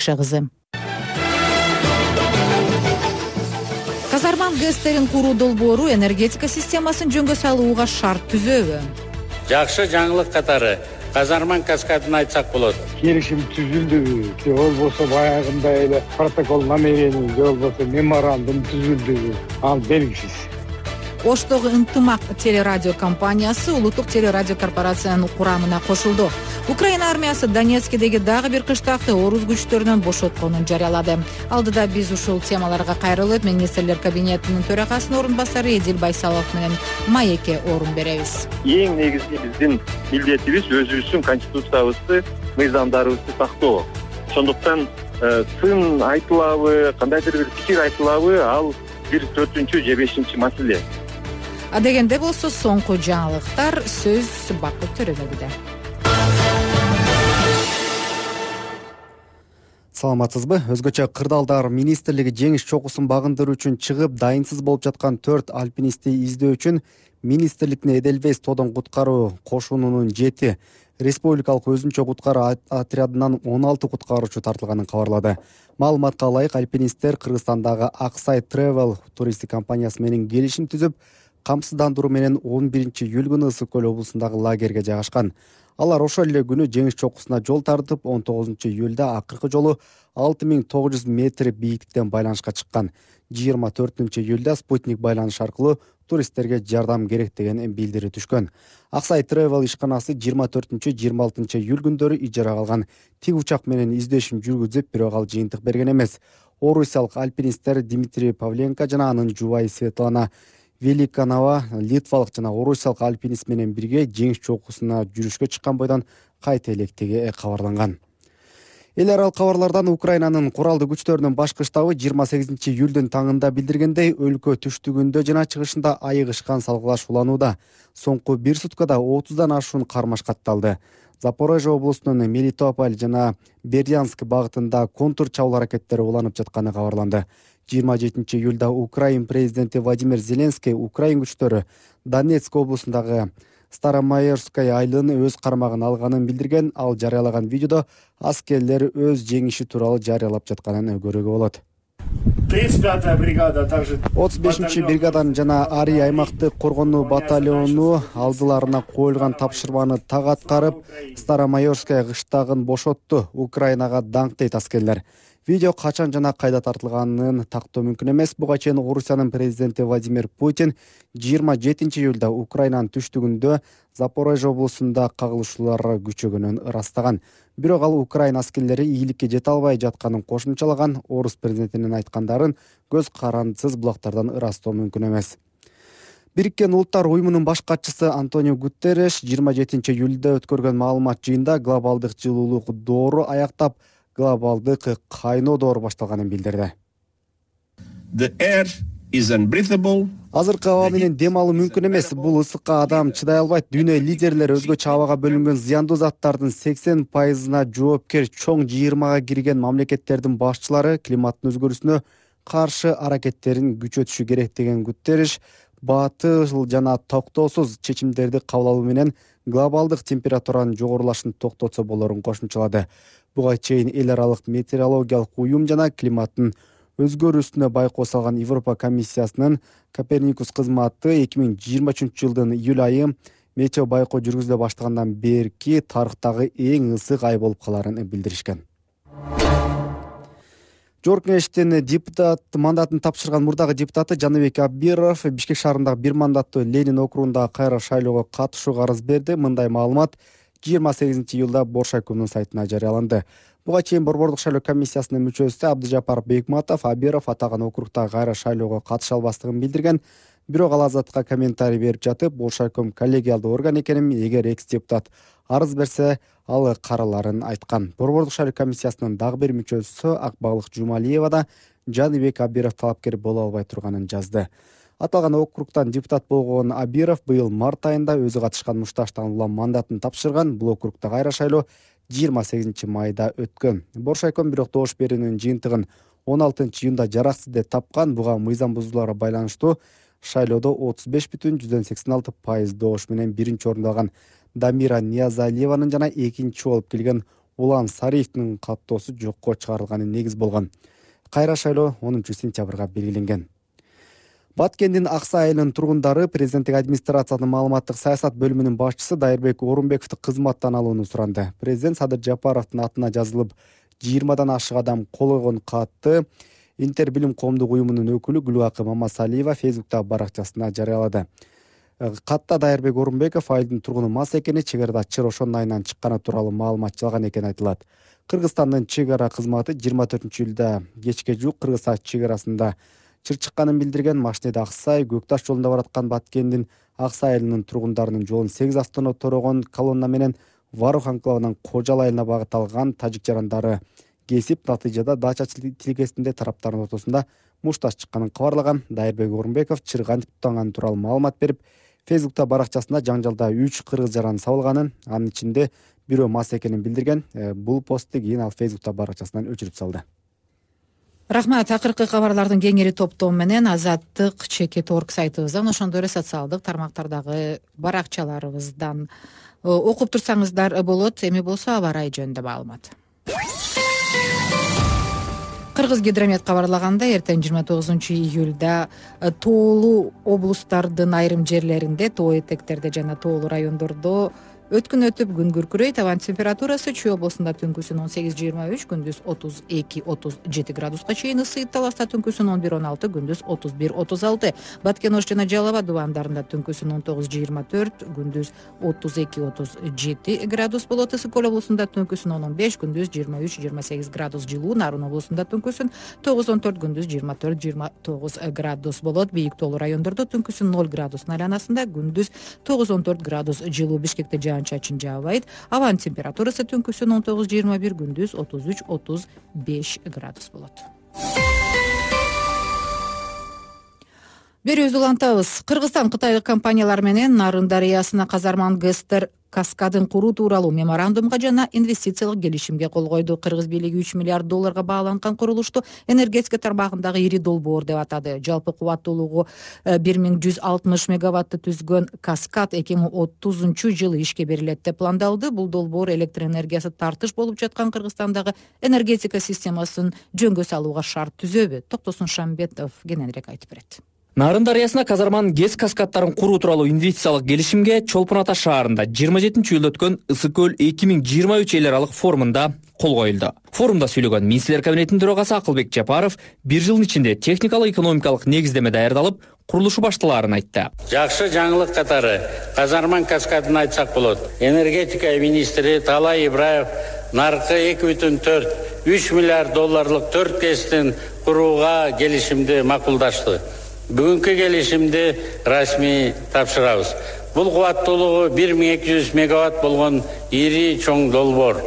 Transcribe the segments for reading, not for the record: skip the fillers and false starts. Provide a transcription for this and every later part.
кызы. Казарман ГЭСтерин куруу долбоору энергетика системасын жөнгө салууга шарт түзөбү? Жакшы жаңылык катары Казарман каскадын айтсак болот. Келишим түзүлдүбү, же болбосо баягындай эле протокол намерений, же болбосо меморандум түзүлдүбү, ал белгисиз. Оштогу ынтымак телерадио компаниясы улуттук телерадио корпорациянын курамына кошулду. Украина армиясы Донецкидеги дагы бир кыштакты орус күчтөрүнөн бошотконун жарыялады. Алдыда биз ушул темаларга кайрылып, министрлер кабинетинин төрагасынын орун басары Эдил Байсалов менен маекке орун беребиз. Эң негизги биздин милдетибиз өзүбүздүн конституциябызды, мыйзамдарыбызды сактоо. Ошондуктан сын айтылабы, кандайдыр бир пикир айтылабы, ал бир 4-же 5-чи маселе. Дегенде болсо соңку жаңылыктар сөз Бакыт Төрөгөлдө. Саламатсызбы? Өзгөчө кырдаалдар министрлиги жеңиш чокусун багындыруу үчүн чыгып, дайынсыз болуп жаткан 4 альпинистти издөө үчүн министрликтин Эдельвейс тодон куткаруу кошунунун 7 республикалык өзүнчө куткаруу отрядынан 16 куткаруучу тартылганын кабарлады. Маалыматка ылайык, альпинисттер Кыргызстандагы Аксай Travel туристтик компаниясы менен келишим түзүп, камсыздандыруу менен 11-июль күнү Ысык көл облусундагы лагерге жайгашкан. Алар ошол эле күнү жеңиш чокусуна жол тартып, 19-июлда акыркы жолу 6900 метр бийиктиктен байланышка чыккан. 24-июлда спутник байланыш аркылуу туристтерге жардам керек деген билдири түшкөн. Аксай Travel ишканасы 24-26-июль күндөрү ижарага алган тик учак менен издешин жүргүзүп, бирок ал жыйынтык берген эмес. Орусиялык альпинисттер Дмитрий Павленко жана анын жубайы Светлана Великанова литвалык жана орусиялык альпинист менен бирге жеңиш чокусуна жүрүшкө чыккан бойдон кайта электиги кабарланган. Эл аралык кабарлардан Украинанын куралдуу күчтөрүнүн башкы штабы 28-июлдун таңында билдиргендей, өлкө түштүгүндө жана чыгышында айыгышкан салгылаш уланууда. Соңку 1 суткада 30дан ашуун кармаш катталды. Запорожье облусунун Мелитополь жана Бердянск багытында контур чабуул аракеттери уланып жатканы кабарланды. 27-июлда Украин президенти Владимир Зеленский Украин күчтөрү Донецк облусундагы Старомайорская айылын өз кармагына алганын билдирген. Ал жарыялаган видеодо аскерлер өз жеңиши тууралуу жарыялап жатканын көрүүгө болот. 35-я бригада также 35-бригаданын жана Ари аймактык коргонуу батальону алдыларына коюлган тапшырманы так аткарып, Старомайорская кыштагын бошотту. Украинага даңк дейт аскерлер. Видео качан жана кайда тартылганын тактоо мүмкүн эмес. Буга чейин Орусиянын президенти Владимир Путин 27-июлда Украинанын түштүгүндө Запорожье облусунда кагылышуулар күчөгөнүн ырастаган. Бирок ал Украин аскерлери ийгиликке жете албай жатканын кошумчалаган. Орус президентинин айткандарын көз карандысыз булактардан ырастоо мүмкүн эмес. Бириккен Улуттар уюмунун баш катчысы Антонио Гутерреш 27-июлда өткөргөн маалымат жыйында глобалдык жылуулук доору аяктап, глобалдык кайноо доору башталганын билдирди. Азыркы аба менен дем алуу мүмкүн эмес. Бул ысыкка адам чыдай албайт. Дүйнө лидерлери өзгөчө абага бөлүнгөн зыяндуу заттардын 80%-на жоопкер чоң жыйырмага кирген мамлекеттердин башчылары климаттын өзгөрүүсүнө каршы аракеттерин күчөтүшү керек деген Гутерреш батыл жана токтоосуз чечимдерди кабыл алуу менен глобалдык температуранын жогорулашын токтотсо болорун кошумчалады. Буга чейин эл аралык метеорологиялык уюм жана климаттын өзгөрүүсүнө байкоо салган Европа комиссиясынын Коперникус кызматы 2023 жылдын июль айы метео байкоо жүргүзүлө баштагандан берки тарыхтагы эң ысык ай болуп каларын билдиришкен. Жогорку Кеңештин депутат мандатын тапшырган мурдагы депутаты Жаныбек Аббиров Бишкек шаарындагы бир мандаттуу Ленин округундагы кайра шайлоого катышууга арыз берди. Мындай маалымат 28-июлда Боршайкомдун сайтына жарыяланды. Буга чейин Борбордук шайлоо комиссиясынын мүчөсү Абдыжапар Бекматов Аббиров атаган округдагы кайра шайлоого катыша албастыгын билдирген. Бирок ал Азаттыкка комментарий берип жатып, Боршайком коллегиалдуу орган экенин, эгер экс-депутат арыз берсе, ал караларын айткан. Борбордук шайлоо комиссиясынын дагы бир мүчөсү Акбалык Жумалиева да Жаныбек Аббиров талапкер боло албай турганын жазды. Аталган округтан депутат болгон Аббиров быйыл март айында өзү катышкан мушташтан улам мандатын тапшырган. Бул округда кайра шайлоо 28-майда өткөн. Боршайком бирок добуш берүүнүн жыйынтыгын 16-июнда жараксыз деп тапкан. Буга мыйзам бузууларга байланыштуу шайлоодо 35,86% добуш менен биринчи орунду алган Дамира Ниязалиеванын жана экинчи болуп келген Улан Сариевдин каттоосу жокко чыгарылганы негиз болгон. Кайра шайлоо 10 сентябрга белгиленген. Баткендин Аксай айылынын тургундары президенттик администрациянын маалыматтык саясат бөлүмүнүн башчысы Дайырбек Орунбековду кызматтан алууну суранды. Президент Садыр Жапаровдун атына жазылып 20дан ашык адам кол койгон катты Интербилим коомдук уюмунун өкүлү Гүлакы Мамасалиева Фейсбуктагы баракчасына жарыялады. Катта Дайырбек Орунбеков айылдын тургуну мас экени, чек арада чыр ошонун айынан чыкканы тууралуу маалымат жалган экени айтылат. Кыргызстандын чек ара кызматы 24-июлда кечке жуук Кыргыз чек арасында чыр чыкканын билдирген. Машинеде Аксай Көкташ жолунда бараткан Баткендин Аксай айылынын тургундарынын жолун 8 автоунаа торогон колонна менен Варух анклавынан Кожал айылына багыт алган тажик жарандары кесип, натыйжада дача тилкесинде тараптардын ортосунда мушташ чыкканын кабарлаган. Дайырбек Орунбеков чыр кантип туттанганы тууралуу маалымат берип, Фейсбукта баракчасында жаңжалда 3 кыргыз жаран сабылганын, анын ичинде бирөө мас экенин билдирген. Бул постту кийин ал Фейсбукта баракчасынан өчүрүп салды. Рахмат. Акыркы кабарлардын кеңири топтоо менен Азаттык Чекет.орг сайтыбыздан, ошондой эле социалдык тармактардагы баракчаларыбыздан окуп турсаңыздар болот. Эми болсо аба ырайы жөнүндө маалымат. Кыргыз гидромет кабарлагандай, эртең 29-июлда тоолуу облустардын айрым жерлеринде, тоо этектерде жана тоолуу райондордо өткүн өтүп күн күркүрөйт. Абан температурасы Чүй облусунда түнкүсүн 18-23, күндүз 32-37 градуска чейин ысыйт. Таласта түнкүсүн 11-16, күндүз 31-36. Баткен Ош жана Жалал Абад дубандарында түнкүсүн 19-24, күндүз 32-37 градус болот. Ысык Көл облусунда түнкүсүн 15, күндүз 23-28 градус жылуу. Нарын облусунда түнкүсүн 9-14, күндүз 24-29 градус болот. Бийик тоолуу райондордо түнкүсүн 0 градустун айланасында, күндүз 9-14 градус жылуу. Бишкекте чачын жаабайт. Абанын температурасы түнкүсүн 19-21, күндүз 33-35 градус болот. Берүүбүздү улантабыз. Кыргызстан кытайлык компаниялар менен Нарын дарыясына Казарман ГЭСтер каскадын куруу тууралуу меморандумга жана инвестициялык келишимге кол койду. Кыргыз бийлиги $3 миллиард бааланган курулушту энергетика тармагындагы ири долбоор деп атады. Жалпы кубаттуулугу 1160 мегаватты түзгөн каскад 2030-жылы ишке берилет деп пландалды. Бул долбоор электр энергиясы тартыш болуп жаткан Кыргызстандагы энергетика системасын жөнгө салууга шарт түзөбү? Токтосун Шамбетов кененирээк айтып берет. Нарын дарыясына Казарман ГЭС каскадтарын куруу тууралуу инвестициялык келишимге Чолпон Ата шаарында 27-июлда өткөн Ысык Көл 2023 эл аралык форумунда кол коюлду. Форумда сүйлөгөн министрлер кабинетинин төрагасы Акылбек Жапаров 1 жылдын ичинде техникалык экономикалык негиздеме даярдалып, курулушу башталаарын айтты. Жакшы жаңылык катары Казарман каскадын айтсак болот. Энергетика министри Талай Ибраев наркы 2,4-3 миллиард долларлык 4 ГЭСтин курууга келишимди макулдашты. Бүгүнкү келишимди расмий тапшырабыз. Бул кубаттуулугу 1200 мегаватт болгон ири чоң долбоор.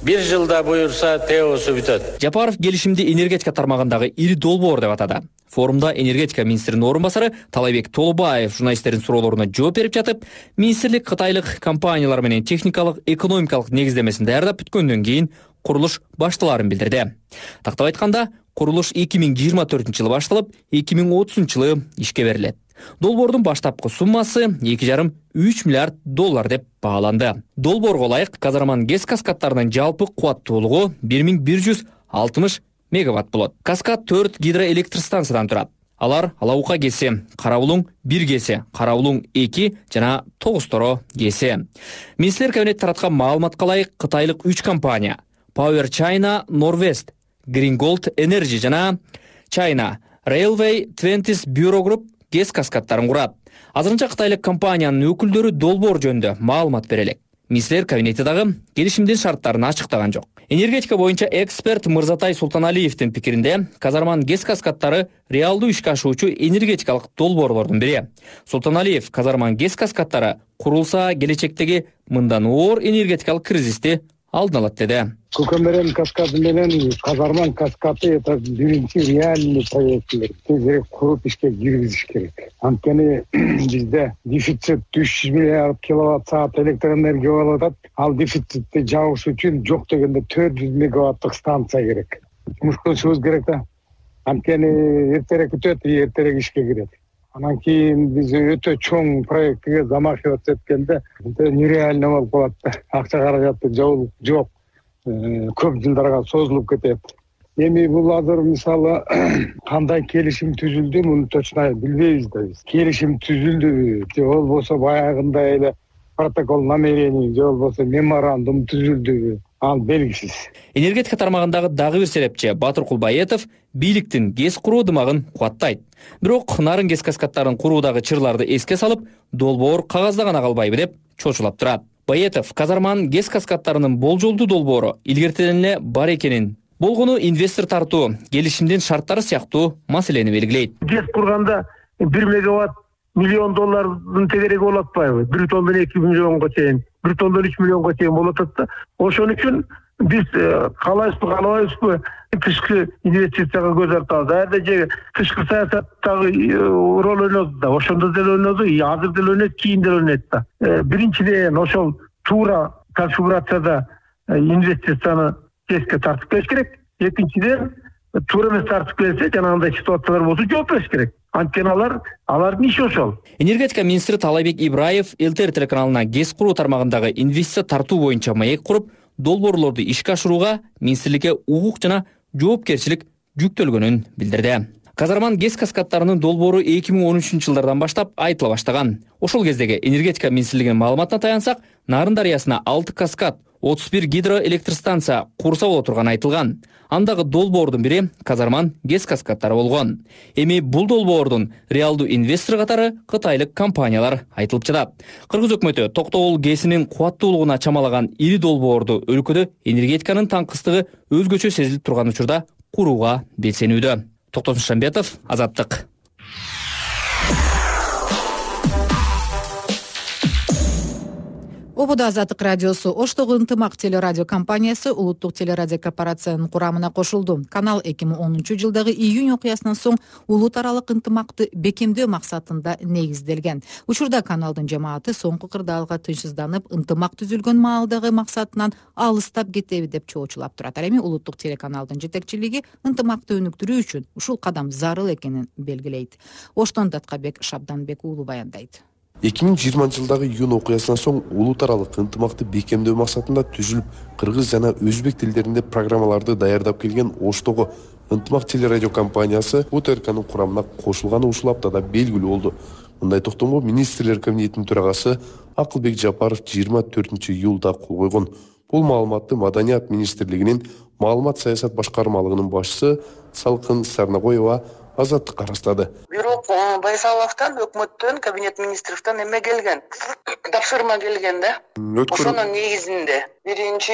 1 жылда буюрса теосу бүтөт. Жапаров келишимди энергетика тармагындагы ири долбоор деп атады. Форумда энергетика министринин орун басары Талайбек Толубаев журналисттердин суроолоруна жооп берип жатып, министрлик кытайлык компаниялар менен техникалык экономикалык негиздемесин даярдап бүткөндөн кийин курулуш башталаарын билдирди. Тактап айтканда, курулуш 2024-жылы башталып, 2030-жылы ишке берилет. Долбоордун баштапкы суммасы 2,5-3 миллиард доллар деп бааланды. Долбоорго ылайык Казарман ГЭС каскадтарынын жалпы кубаттуулугу 1160 мегаватт болот. Каскад 4 гидроэлектростанциядан турат. Алар Алаука ГЭСи, Карабулуң 1 ГЭСи, Карабулуң 2 жана Тогусторо ГЭСи. Министрлер кабинети тараткан маалыматка ылайык кытайлык 3 компания Power China, Norwest, Green Gold Energy жана China Railway 20 Bureau Group ГЭС каскадтарын курат. Азырынча кытайлык компаниянын өкүлдөрү долбоор жөнүндө маалымат бере элек. Министрлер кабинети дагы келишимдин шарттарын ачыктаган жок. Энергетика боюнча эксперт Мырзатай Султаналиевдин пикиринде, Казарман ГЭС каскадтары реалдуу ишке ашуучу энергетикалык долбоорлордун бири. Султаналиев Казарман ГЭС каскадтары курулса келечектеги мындан оор энергетикалык кризисти алдын алат деди. Көкөмөрөн каскады менен Казарман каскады это биринчи реальный проекттер. Тезирээк куруп ишке киргизиш керек. Анткени бизде дефицит 300 миллиард киловатт саат электр энергия болуп атат. Ал дефицитти жабыш үчүн жок дегенде 400 мегаваттык станция керек. Жумуш кылышыбыз керек да. Анткени эртерээк бүтөт, эртерээк ишке кирет. Анан кийин биз өтө чоң проектке замахиваться эткенде нереально болуп калат да. Акча каражаты жок. көп жылдарга созулуп кетет. Эми бул азыр мисалы кандай келишим түзүлдү, муну точно билбейбиз да биз. Келишим түзүлдүбү же болбосо баягындай эле протокол намерений же болбосо меморандум түзүлдүбү, ал белгисиз. Энергетика тармагындагы дагы бир серепчи Батыр Кулбаетов бийликтин ГЭС куруу дымагын кубаттайт. Бирок нарын ГЭС каскаддарын куруудагы чырларды эске салып, долбоор кагазда гана калбайбы деп чочулап турат. Баетов Казарманын ГЭС каскаддарынын болжолдуу долбоору илгертен эле бар экенин, болгону инвестор тартуу, келишимдин шарттары сыяктуу маселени белгилейт. ГЭС курганда 1 мегаватт миллион доллардын тегереги болуп атпайбы? 1 тоннадан 2 миллионго чейин, 1 тоннадан 3 миллионго чейин болуп атат да. Ошон үчүн биз каалайбызбы, тышкы инвестицияга көз артабыз. Ада же тышкы саясаттагы роль ойноду да, ошондо деле ойноду, азыр деле ойнойт, кийин деле ойнойт да. Биринчиден ошол туура конфигурацияда инвестицияны ГЭСке тартып келиш керек. Экинчиден туура эмес тартып келсе, жанагындай ситуациялар болсо жооп бериш керек. Анткени алардын иши ошол. Энергетика министри Талайбек Ибраев ЛТР телеканалына ГЭС куруу тармагындагы инвестиция тартуу боюнча маек куруп, долбоорлорду ишке ашырууга министрликке укук жана жоопкерчилик жүктөлгөнүн билдирди. Казарман ГЭС каскаддарынын долбоору 2013-жылдардан баштап айтыла баштаган. Ошол кездеги энергетика министрлигинин маалыматына таянсак, Нарын дарыясына 6 каскад, 31 гидроэлектростанция курса боло турганы айтылган. Андагы долбоордун бири Казарман ГЭС каскаддары болгон. Эми бул долбоордун реалдуу инвестору катары кытайлык компаниялар айтылып жатат. Кыргыз өкмөтү Токтогул ГЭСинин кубаттуулугуна чамалаган ири долбоорду өлкөдө энергетиканын таңкыстыгы өзгөчө сезилип турган учурда курууга белсенүүдө. Токтосун Шамбетов, Азаттык. Ободо Азаттык радиосу Оштогу ынтымак телерадио компаниясы улуттук телерадио корпорациянын курамына кошулду. Канал 2010-жылдагы июнь окуясынан соң улут аралык ынтымакты бекемдөө максатында негизделген. Учурда каналдын жамааты соңку кырдаалга тынчсызданып, ынтымак түзүлгөн маалдагы максатынан алыстап кетеби деп чоочулап турат. Эми улуттук телеканалдын жетекчилиги ынтымакты өнүктүрүү үчүн ушул кадам зарыл экенин белгилейт. Оштон Даткабек Шабданбек уулу баяндайт. 2020-жылдагы июнь окуясынан соң улут аралык ынтымакты бекемдөө максатында түзүлүп, кыргыз жана өзбек тилдеринде программаларды даярдап келген Оштогу ынтымак телерадио компаниясы УТРКнын курамына кошулганы ушул аптада белгилүү болду. Мындай токтомго министрлер кабинетинин төрагасы Акылбек Жапаров 24-июлда кол койгон. Бул маалыматты Маданият министрлигинин маалымат саясат башкармалыгынын башчысы Салкын Сарнагоева Азаттыкка растады. Бирок Байсаловдон, өкмөттөн, кабинет министрликтен эме келген, тапшырма келген да. Ошонун негизинде биринчи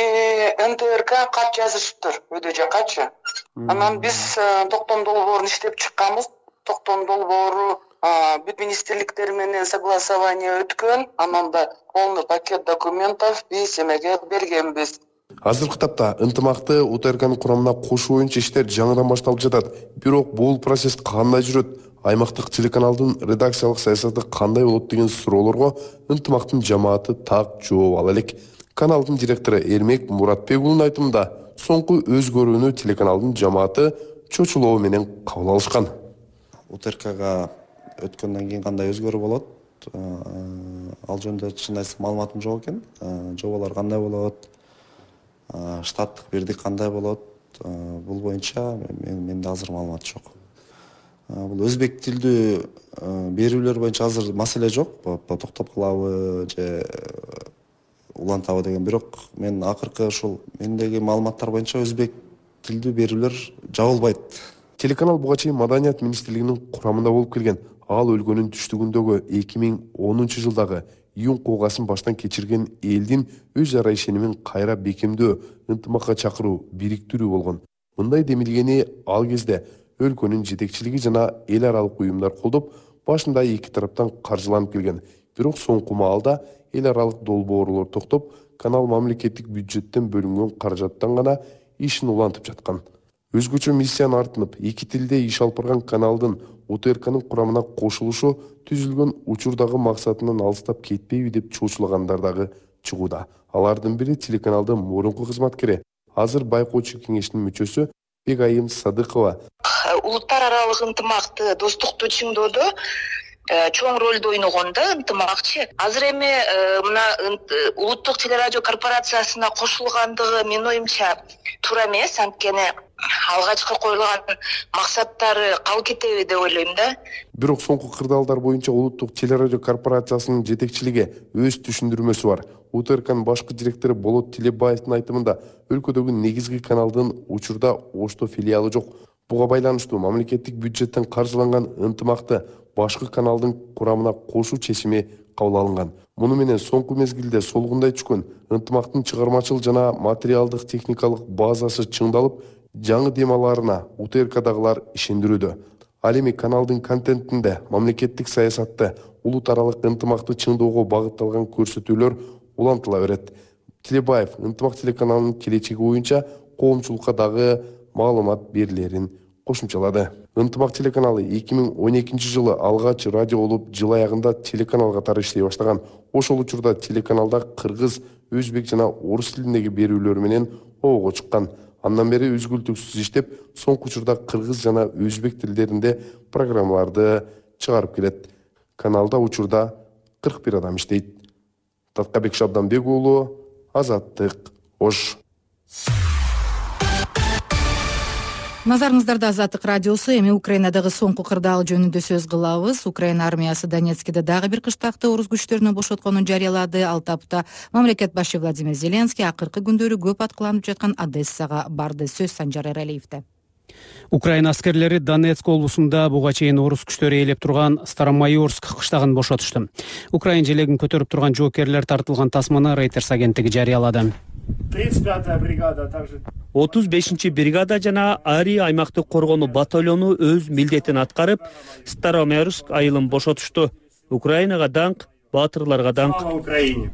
НТРК кат жазышыптыр, өйдө жакачы. Анан биз токтом долбоорун иштеп чыкканбыз. Токтом долбоору бүт министрликтер менен согласование өткөн, анан да полный пакет документов биз эмеге бергенбиз. Азыркы тапта ынтымакты УТРКнын курамына кошуу боюнча иштер жаңыдан башталып жатат. Бирок бул процесс кандай жүрөт? Аймактык телеканалдын редакциялык саясаты кандай болот деген суроолорго ынтымактын жамааты так жооп ала элек. Каналдын директору Эрмек Муратбек уулунун айтымында, соңку өзгөрүүнү телеканалдын жамааты чочулоо менен кабыл алышкан. УТРКга өткөндөн кийин кандай өзгөрүү болот? Ал жөнүндө чын айтсак маалыматым жок экен. Жоболор кандай болот? Штаттык бирдик кандай болот? Бул боюнча менде азыр маалымат жок. Бул өзбек тилдүү берүүлөр боюнча азыр маселе жок. Токтоп калабы же улантабы деген. Бирок мен акыркы ушул мендеги маалыматтар боюнча өзбек тилдүү берүүлөр жабылбайт. Телеканал буга чейин Маданият министрлигинин курамында болуп келген. Ал өлкөнүн түштүгүндөгү 2010-жылдагы июнь окуясын баштан кечирген элдин өз ара ишенимин кайра бекемдөө, ынтымакка чакыруу, бириктирүү болгон. Мындай демилгени ал кезде өлкөнүн жетекчилиги жана эл аралык уюмдар колдоп, башында эки тараптан каржыланып келген. Бирок соңку маалда эл аралык долбоорлор токтоп, канал мамлекеттик бюджеттен бөлүнгөн каражаттан гана ишин улантып жаткан. Өзгөчө миссияны артынып, эки тилде иш алып барган каналдын УТРКнын курамына кошулушу түзүлгөн учурдагы максатынан алыстап кетпейби деп чоочулагандар дагы чыгууда. Алардын бири телеканалдын мурунку кызматкери, азыр байкоочу кеңешинин мүчөсү Бегайым Садыкова. Улуттар аралык ынтымакты, достукту чыңдоодо чоң ролду ойногон да ынтымакчы. Азыр эми мына улуттук телерадио корпорациясына кошулгандыгы менин оюмча туура эмес, анткени алгачкы коюлган максаттары калып кетеби деп ойлойм да. Бирок соңку кырдаалдар боюнча улуттук телерадио корпорациясынын жетекчилиги өз түшүндүрмөсү бар. УТРКнын башкы директору Болот Тилебаевдин айтымында өлкөдөгү негизги каналдын учурда Ошто филиалы жок. Буга байланыштуу мамлекеттик бюджеттен каржыланган ынтымакты башкы каналдын курамына кошуу чечими кабыл алынган. Муну менен соңку мезгилде солгундай түшкөн ынтымактын чыгармачыл жана материалдык техникалык базасы чыңдалып, жаңы дем аларына УТРКдагылар ишендирүүдө. Ал эми каналдын контентинде мамлекеттик саясатты, улут аралык ынтымакты чыңдоого багытталган көрсөтүүлөр улантыла берет. Тилебаев ынтымак телеканалынын келечеги боюнча коомчулукка дагы маалымат берилерин кошумчалады. Ынтымак телеканалы 2012 жылы алгач радио болуп, жыл аягында телеканал катары иштей баштаган. Ошол учурда телеканалда кыргыз, өзбек жана орус тилиндеги берүүлөр менен обого чыккан. Андан бери үзгүлтүксүз иштеп, соңку учурда кыргыз жана өзбек тилдеринде программаларды чыгарып келет. Каналда учурда 41 адам иштейт. Таткабек Шабданбек уулу, Азаттык, Ош. Назарыңыздарда Азаттык радиосу. Эми Украинадагы соңку кырдаал жөнүндө сөз кылабыз. Украина армиясы Донецкиде дагы бир кыштакты орус күчтөрүнөн бошотконун жарыялады. Ал тапта мамлекет башы Владимир Зеленский акыркы күндөрү көп аткыланып жаткан Одессага барды. Сөз Санжар Эралиевде. Украина аскерлери Донецк облусунда буга чейин орус күчтөрү ээлеп турган Старомайорск кыштагын бошотушту. Украин желегин көтөрүп турган жоокерлер тартылган тасманы Reuters агенттиги жарыялады. 35-та бригада также 35-чи бригада жана Ари аймактык коргонуу батальону өз милдетин аткарып, Старомайорск айылын бошотушту. Украинага даңк, баатырларга даңк.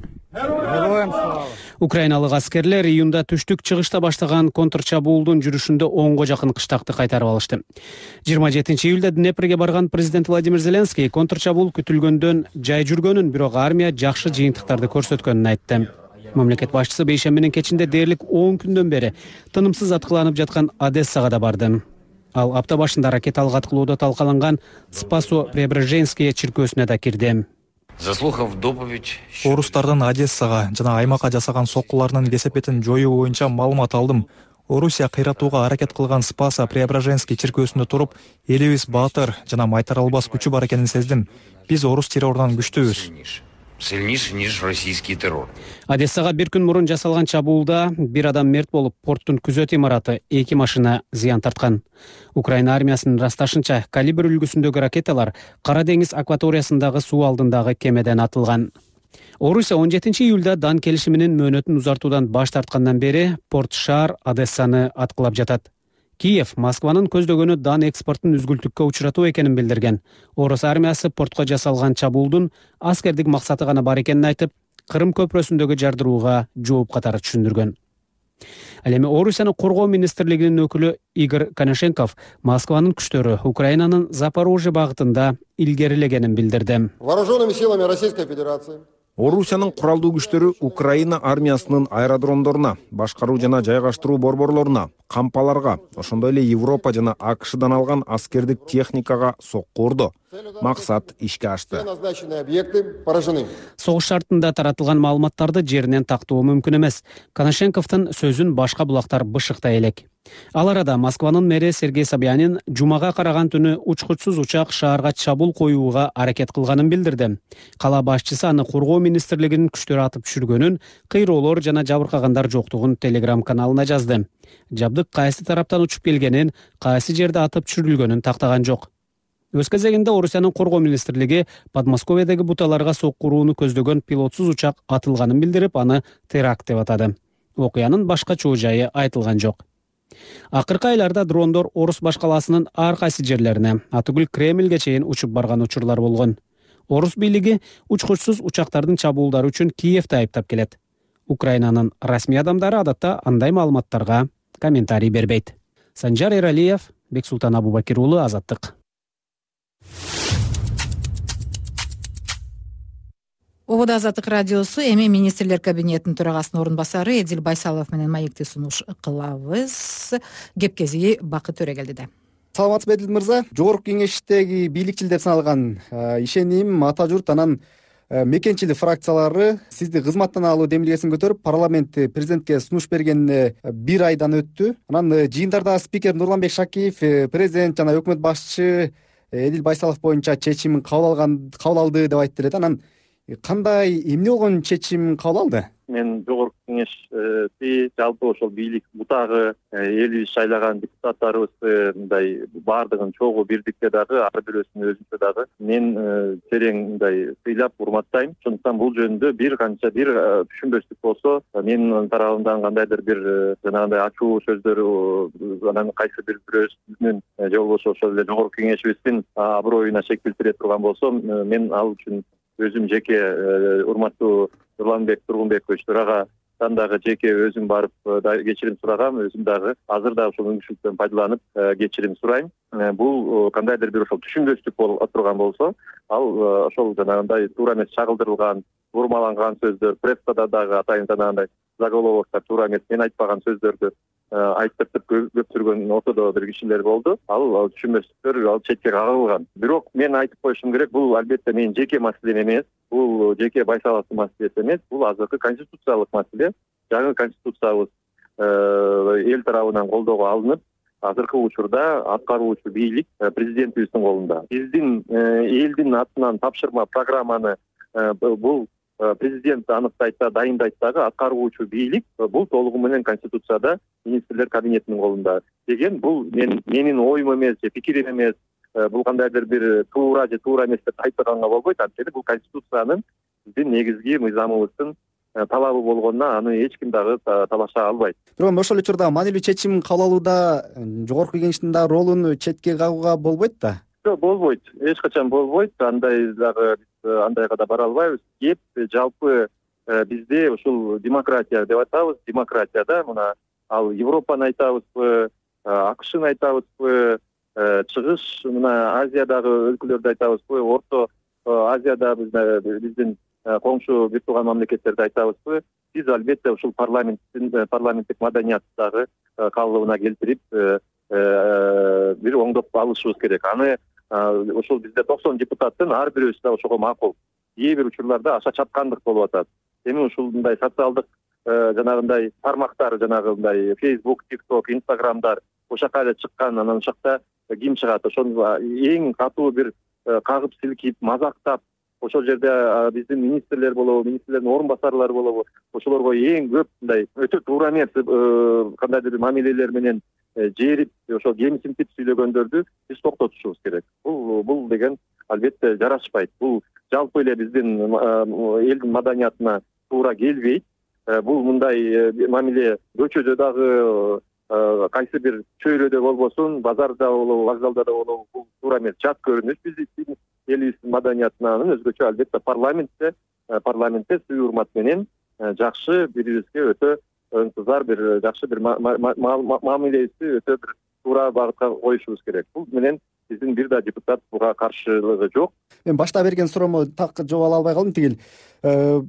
Украиналык аскерлер июнда түштүк чыгышта баштаган контрчабуулдун жүрүшүндө 10го жакын кыштакты кайтарып алышты. 27-июлда Днепрге барган президент Владимир Зеленский контрчабуул күтүлгөндөн жай жүргөнүн, бирок армия жакшы жыйынтыктарды көрсөткөнүн айтты. Мамлекет башчысы бейшембинин кечинде дээрлик 10 күндөн бери тынымсыз аткыланып жаткан Одессага да барды. Ал апта башында ракеталык аткылоодо талкаланган Спасо-Преображенские чиркөөсүнө да кирди. Орустардын Одессага жана аймакка жасаган соккуларынын кесепетин жоюу боюнча маалымат алдым. Орусия кыйратууга аракет кылган Спасо-Преображенский чиркөөсүндө туруп, элибиз баатыр жана майтарылбас күчү бар экенин сездим. Биз орус террорунан күчтүүбүз. Сильнейший, ниже российский террор. Одессага бир күн мурун жасалган чабуулда бир адам мерт болуп, порттун күзөт имараты 2 машина зыян тарткан. Украина армиясынын ырасташынча, калибр үлгүсүндөгү ракеталар Кара деңиз акваториясындагы суу алдындагы кемеден атылган. Орусия 17-июлда Дан келишиминин мөөнөтүн узартуудан баш тарткандан бери порт-шаар Одессаны аткылап жатат. Киев Москванын көздөгөнү Дан экспортун үзгүлтүккө учуратуу экенин билдирген. Орус армиясы портко жасалган чабуулдун аскердик максаты гана бар экенин айтып, Кырым көпүрөсүндөгү жардырууга жооп катары түшүндүргөн. Ал эми Орусиянын коргоо министрлигинин өкүлү Игорь Коношенков Москванын күчтөрү Украинанын Запорожье багытында илгерилегенин билдирди. Вооруженными силами Российской Федерации Орусиянын куралдуу күчтөрү Украина армиясынын аэродромдоруна, башкаруу жана жайгаштыруу борборлоруна, кампаларга, ошондой эле Европа жана АКШдан алган аскердик техникага сокку урду. Максат ишке ашты. Согуш шартында таратылган маалыматтарды жеринен тактоо мүмкүн эмес. Коношенковдун сөзүн башка булактар бышыктай элек. Ал арада Москванын мэри Сергей Собянин жумага караган түнү учкучсуз учак шаарга чабуул коюуга аракет кылганын билдирди. Кала башчысы аны коргоо министрлигинин күчтөрү атып түшүргөнүн, кыйроолор жана жабыркагандар жоктугун Telegram каналына жазды. Жабдык кайсы тараптан учуп келгенин, кайсы жерде атып түшүрүлгөнүн тактаган жок. Өз кезегинде Орусиянын коргоо министрлиги Подмосковьедеги буталарга сокку урууну көздөгөн пилотсуз учак атылганын билдирип, аны теракт деп атады. Окуянын башка чоо жайы айтылган жок. Акыркы айларда дрондор Орус башкаласынын ар кайсы жерлерине, атүгүл Кремльге чейин учуп барган учурлар болгон. Орус бийлиги учкучсуз учактардын чабуулдары үчүн Киевди айыптап келет. Украинанын расмий адамдары адатта андай маалыматтарга комментарий бербейт. Санжар Эралиев, Бексултан Абубакир уулу, Азаттык. Обода Азаттык радиосу. Эми министрлер кабинетинин төрагасынын орун басары Эдил Байсалов менен маекти сунуш кылабыз. Кеп кезиги Бакыт Төрөгелдиде. саламатсызбы Эдил мырза? Жогорку кеңештеги бийликчил деп саналган ишеним, ата журт анан мекенчилик фракциялары сизди кызматтан алуу демилгесин көтөрүп, парламент президентке сунуш бергенине бир айдан өттү. Анан жыйындарда спикер Нурланбек Шакиев, президент жана өкмөт башчы Эдил Байсалов боюнча чечим кабыл алды деп айтты эле. Анан кандай, эмне болгон чечим кабыл алды? Мен жогорку кеңешти, жалпы ошол бийлик бутагы элибиз шайлаган депутаттарыбызды мындай баардыгын чогуу бирдикте дагы, ар бирөөсүн өзүнчө дагы мен терең мындай сыйлап урматтайм. Ошондуктан бул жөнүндө бир түшүнбөстүк болсо, менин тарабымдан кандайдыр бир жанагындай ачуу сөздөр анан кайсы бирөөсүнүн же болбосо ошол эле жогорку кеңешибиздин аброюна шек келтире турган болсо, мен ал үчүн өзүм жеке урматтуу Нурланбек Тургунбекович төрагатан дагы жеке өзүм барып кечирим сурагам, өзүм дагы азыр да ошол мүмкүнчүлүктөн пайдаланып кечирим сурайм. Бул кандайдыр бир ошол түшүнбөстүк болуп турган болсо, ал ошол жанагындай туура эмес чагылдырылган, бурмаланган сөздөр, прессада дагы атайын жанагындай заголовоктор туура эмес, мен айтпаган сөздөрдү айттыртып көптүргөн ортодо бир кишилер болду. Ал түшүнбөстүктөр ал четке кагылган. Бирок мен айтып коюшум керек, бул албетте менин жеке маселем эмес, бул жеке Байсаловдун маселеси эмес, бул азыркы конституциялык маселе. Жаңы конституциябыз эл тарабынан колдоого алынып, азыркы учурда аткаруучу бийлик президентибиздин колунда. Биздин элдин атынан тапшырма программаны бул президент аныктайт да, дайындайт дагы, аткаруучу бийлик бул толугу менен конституцияда министрлер кабинетинин колунда деген. Бул менин оюм эмес же пикирим эмес, бул кандайдыр бир туура же туура эмес деп айтпаганга болбойт. Анткени бул конституциянын биздин негизги мыйзамыбыздын талабы болгонуна аны эч ким дагы талаша албайт. Бирок ошол учурда маанилүү чечим кабыл алууда жогорку кеңештин да ролун четке кагууга болбойт да? Жок, болбойт. Эч качан болбойт. Андай дагы андайга да бара албайбыз. Кеп жалпы бизде ушул демократия деп атабыз. Демократияда мына ал Европаны айтабызбы, АКШны айтабызбы, чыгыш мына Азиядагы өлкөлөрдү айтабызбы, Орто Азияда биздин коңшу бир тууган мамлекеттерди айтабызбы, биз албетте ушул парламенттик маданиятты дагы калыбына келтирип бир оңдоп алышыбыз керек. Аны ошол бизде 90 депутаттын ар бирөөсү да ошого макул. Кээ бир учурларда аша чапкандык болуп атат. Эми ушундай социалдык жанагындай тармактар, жанагындай Facebook, TikTok, Instagramдар ошака эле чыккан, анан ошакта ким чыгат, ошону эң катуу бир кагып силкип, мазактап, ошол жерде биздин министрлер болобу, министрлердин орун басарлары болобу, ошолорго эң көп мындай өтө туура эмес кандайдыр бир мамилелер менен жерип, ошол кемсинтип сүйлөгөндөрдү биз токтотушубуз керек. Бул деген албетте жарашпайт. Бул жалпы эле биздин элдин маданиятына туура келбейт. Бул мындай мамиле көчөдө дагы, кайсы бир чөйрөдө болбосун, базарда болобу, вокзалда да болобу, бул туура эмес, жат көрүнүш биздин элибиздин маданиятына. Анан өзгөчө албетте парламентте сый урмат менен жакшы бирибизге өтө ынтызар бир жакшы бир мамилебизди өтө бир туура багытка коюшубуз керек. Бул менен биздин бир да депутат буга каршылыгы жок. Мен башта берген суроомо так жооп ала албай калдым. Тигил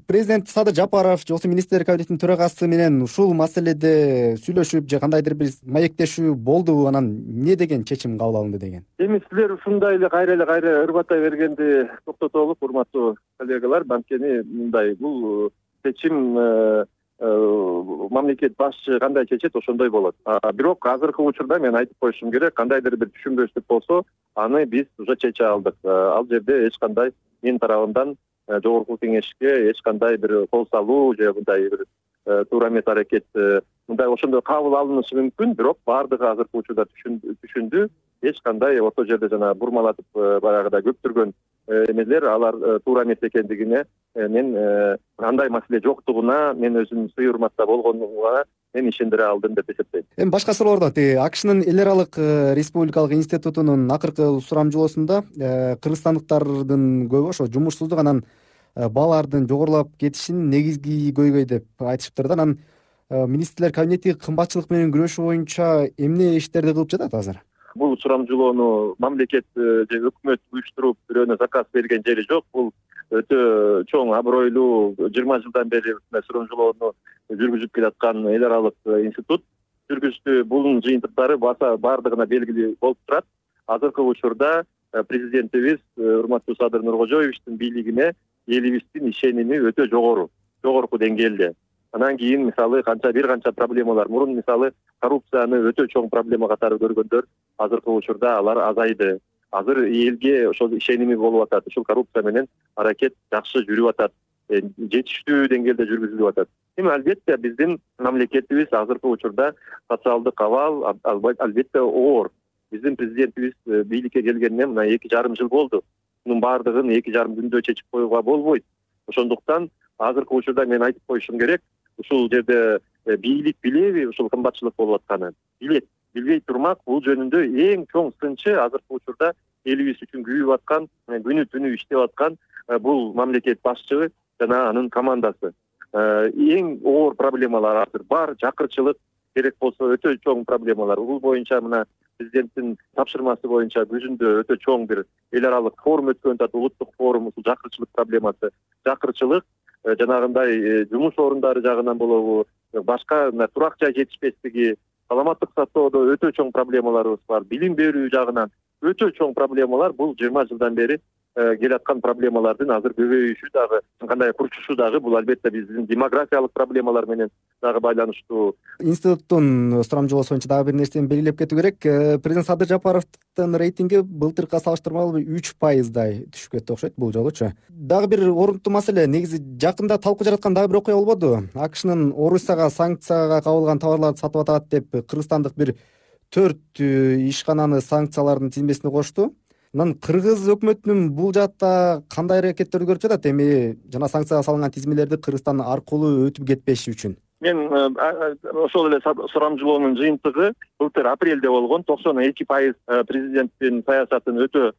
президент Садыр Жапаров же министрлер кабинетинин төрагасы менен ушул маселеде сүйлөшүп же кандайдыр бир маектешүү болдубу? Анан эмне деген чечим кабыл алынды деген? Эми силер ушундай эле кайра ырбатай бергенди токтотолуп, урматтуу коллегалар, анткени мындай бул чечим мамлекет башчы кандай чечет, ошондой болот. Бирок азыркы учурда мен айтып коюшум керек, кандайдыр бир түшүнбөстүк болсо, аны биз уже чече алдык. Ал жерде эч кандай менин тарабымдан жогорку кеңешке эч кандай бир кол салуу же мындай бир туура эмес аракет мындай ошондой кабыл алынышы мүмкүн. Бирок баардыгы азыркы учурда түшүндү. Эч кандай орто жерде жана бурмалатып баягыдай көптүргөн эмелер, алар туура эмес экендигине мен андай маселе жоктугуна, мен өзүм сый урматта болгонума мен ишендире алдым деп эсептейм. Эми башка суроолордо АКШнын эл аралык республикалык институтунун акыркы сурамжылоосунда кыргызстандыктардын көбү ошо жумушсуздук, анан баалардын жогорулап кетишин негизги көйгөй деп айтышыптыр да. Анан министрлер кабинети кымбатчылык менен күрөшүү боюнча эмне иштерди кылып жатат азыр? Бул сурамжылоону мамлекет же өкмөт уюштуруп бирөөнө заказ берген жери жок. Бул өтө чоң абройлуу 20 жылдан бери сурамжылоону жүргүзүп келаткан эл аралык институт жүргүздү. Бунун жыйынтыктары баса баардыгына белгилүү болуп турат. азыркы учурда президентибиз урматтуу Садыр Нуркожоевичтин бийлигине элибиздин ишеними өтө жогорку деңгээлде. Анан кийин мисалы бир канча проблемалар, мурун мисалы коррупцияны өтө чоң проблема катары көргөндөр азыркы учурда алар азайды. Азыр элге ошол ишеними болуп атат. Ушул коррупция менен аракет жакшы жүрүп атат, жетиштүү деңгээлде жүргүзүлүп атат. Эми албетте биздин мамлекетибиз азыркы учурда социалдык абал албетте оор. Биздин президентибиз бийликке келгенине мына 2,5 жыл болду. Мунун баардыгын 2,5 күндө чечип коюуга болбойт. Ошондуктан азыркы учурда мен айтып коюшум керек, ушул жерде бийлик билеби ушул кымбатчылык болуп атканын? Билет. Билбей турмак, бул жөнүндө эң чоң сынчы азыркы учурда элибиз үчүн күйүп аткан, күнү түнү иштеп аткан бул мамлекет башчысы жана анын командасы. Эң оор проблемалар азыр бар, жакырчылык керек болсо өтө чоң проблемалар. Бул боюнча мына президенттин тапшырмасы боюнча күзүндө өтө чоң бир эл аралык форум өткөн атат, улуттук форум, ушул жакырчылык проблемасы. Жакырчылык жанагындай жумуш орундары жагынан болобу, башка турак жай жетишпестиги, саламаттык сактоодо өтө чоң проблемаларыбыз бар. Билим берүү жагынан өтө чоң проблемалар. Бул 20 жылдан бери келаткан проблемалардын азыр көбөйүшү дагы, кандай курчушу дагы бул албетте биздин демографиялык проблемалар менен дагы байланыштуу. Институттун сурамжылоосу боюнча дагы бир нерсени белгилеп кетүү керек. Президент Садыр Жапаровдун рейтинги былтыркыга салыштырмалуу 3%дай түшүп кетти окшойт бул жолучу. Дагы бир орунттуу маселе, негизи жакында талкуу жараткан дагы бир окуя болбоду? AKШнын Орусияга санкцияга кабылган товарларды сатып атат деп кыргызстандык бир 4 ишкананы санкциялардын тизмесине кошту. Анан кыргыз өкмөтүнүн бул жаатта кандай аракеттерди көрүп жатат? Эми жана санкцияга салынган тизмелерди Кыргызстан аркылуу өтүп кетпеши үчүн. Мен ошол эле сурамжылоонун жыйынтыгы былтыр апрелде болгон 92% президенттин саясатын өтө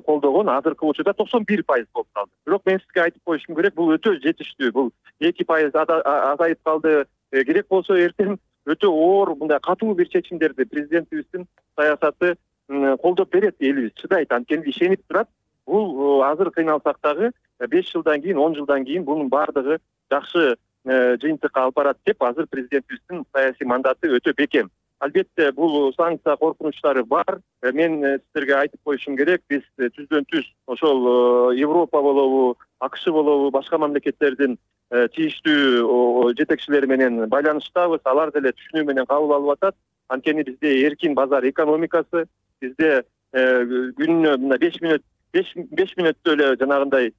колдогон, азыркы учурда 91% болуп калды. Бирок мен сизге айтып коюшум керек, бул өтө жетиштүү. Бул 2% азайып калды. Керек болсо эртең өтө оор мындай катуу бир чечимдерди президентибиздин саясаты колдоп берет, элибиз чыдайт, анткени ишенип турат. Бул азыр кыйналсак дагы 5 жылдан кийин, 10 жылдан кийин бунун баардыгы жакшы жыйынтыкка алып барат деп азыр президентибиздин саясий мандаты өтө бекем. Албетте бул санкция коркунучтары бар. Мен сиздерге айтып коюшум керек, биз түздөн-түз ошол Европа болобу, AKШ болобу, башка мамлекеттердин тийиштүү жетекчилери менен байланыштабыз. Алар деле түшүнүү менен кабыл алып атат. Анткени бизде эркин базар экономикасы, бизде күнүнө 5 мүнөттө эле жанагындай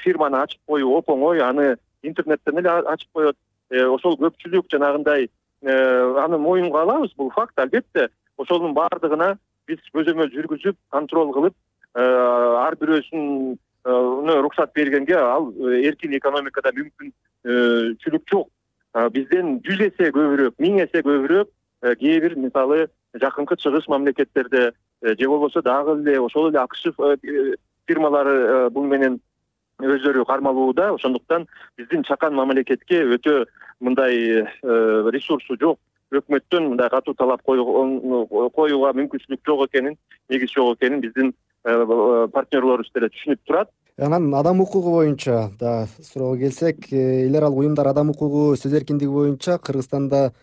фирманы ачып коюу оп оңой, аны интернеттен эле ачып коет. Ошол көпчүлүк жанагындай аны моюнга алабыз, бул факт. Албетте ошонун баардыгына биз көзөмөл жүргүзүп, контроль кылып, ар бирөөсүн уруксат бергенге ал эркин экономикада мүмкүнчүлүк жок. Бизден 100 эсе көбүрөөк, 1000 эсе көбүрөөк кээ бир мисалы жакынкы чыгыш мамлекеттерде же болбосо дагы эле ошол эле AKШ фирмалары бул менен өздөрү кармалууда. Ошондуктан биздин чакан мамлекетке өтө мындай ресурсу жок өкмөттөн мындай катуу талап коюуга мүмкүнчүлүк жок экенин, негиз жок экенин биздин партнерлорубуз деле түшүнүп турат. Анан адам укугу боюнча да суроого келсек, эл аралык уюмдар адам укугу, сөз эркиндиги боюнча Кыргызстанда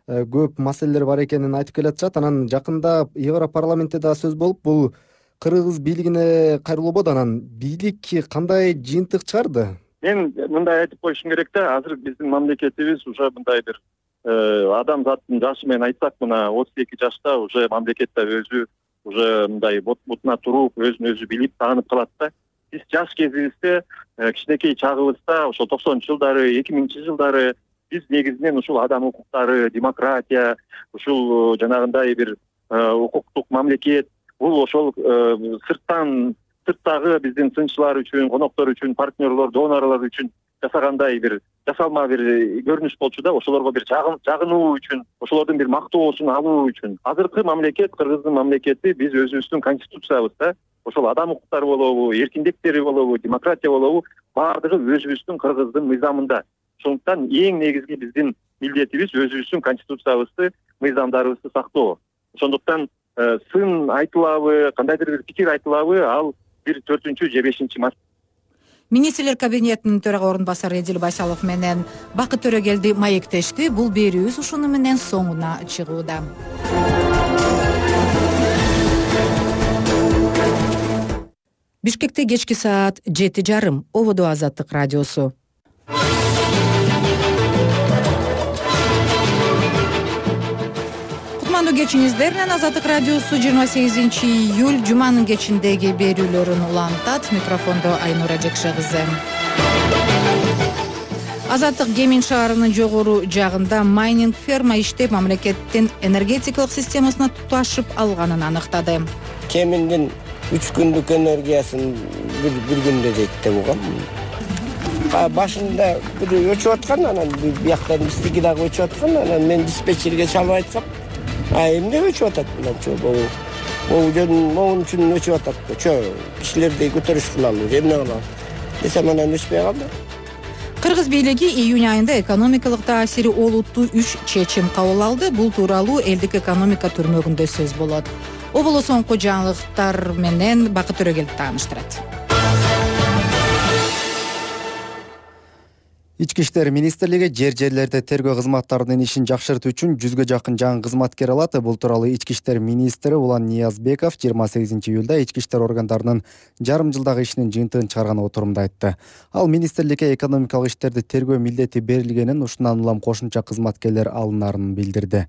көп маселелер бар экенин айтып келатышат. Анан жакында Европарламентте да сөз болуп, бул кыргыз бийлигине кайрылуу болду. Анан бийлик кандай жыйынтык чыгарды? Мен мындай айтып коюшум керек да, азыр биздин мамлекетибиз уже мындай бир адамзаттын жашы менен айтсак, мына 32 жашта уже мамлекетте өзү уже мындай бутуна туруп, өзүн өзү билип, таанып калат да. Биз жаш кезибизде, кичинекей чагыбызда, ошол 90 жылдары, 2000 жылдары биз негизинен ушул адам укуктары, демократия, ушул жанагындай бир укуктук мамлекет, бул ошол сырттагы биздин сынчылар үчүн, коноктор үчүн, партнерлор, донорлор үчүн жасагандай бир жасалма бир көрүнүш болчу да, ошолорго бир жагынуу үчүн, ошолордун бир мактоосун алуу үчүн. Азыркы мамлекет, Кыргыздын мамлекети, биз өзүбүздүн конституциябызда ошол адам укуктары болобу, эркиндиктери болобу, демократия болобу, баардыгы өзүбүздүн Кыргыздын мыйзамында. Ошондуктан эң негизги биздин милдетибиз өзүбүздүн конституциябызды, мыйзамдарыбызды сактоо. Ошондуктан сын айтылабы, кандайдыр бир пикир айтылабы, ал бир 4-же 5-чи март. Министрлер кабинетинин төрага орун басары Эдил Байсалов менен Бакыт Төрөгелди маектешти. Бул берүүбүз ушуну менен соңуна чыгууда. Бишкекте кечки саат 7:30. Ободо Азаттык радиосу. Кутмандуу кечиңиздер менен Азаттык радиосу 28-июль жуманын кечиндеги берүүлөрүн улантат. Микрофондо Айнура Жекше кызы. Азаттык Кемин шаарынын жогору жагында майнинг ферма иштеп, мамлекеттин энергетикалык системасына туташып алганын аныктады. Кеминдин 3 күндүк энергиясын бир күндө дейт деп угам. Башында бир өчүп аткан, анан бияктан бистики дагы өчүп аткан, анан мен диспетчерге чалып айткам. Эмне өчүп атат мынча могун үчүн өчүп атат. Кишилерди көтөрүш кылалы, эмне кылалы десем, анан өчпөй калды. Кыргыз бийлиги июнь айында экономикалык таасири олуттуу 3 чечим кабыл алды. Бул тууралуу элдик экономика түрмөгүндө сөз болот. Оболо соңку жаңылыктар менен Бакыт Төрөгелди тааныштырат. Ички иштер министрлиги жерлерде тергөө кызматтарынын ишин жакшыртуу үчүн 100гө жакын жаңы кызматкер алат. Бул тууралуу Ички иштер министри Улан Ниязбеков 28-июлда ички иштер органдарынын жарым жылдагы ишинин жыйынтыгын чыгарган отурумда айтты. Ал министрликке экономикалык иштерди тергөө милдети берилгенин, ушундан улам кошумча кызматкерлер алынарын билдирди.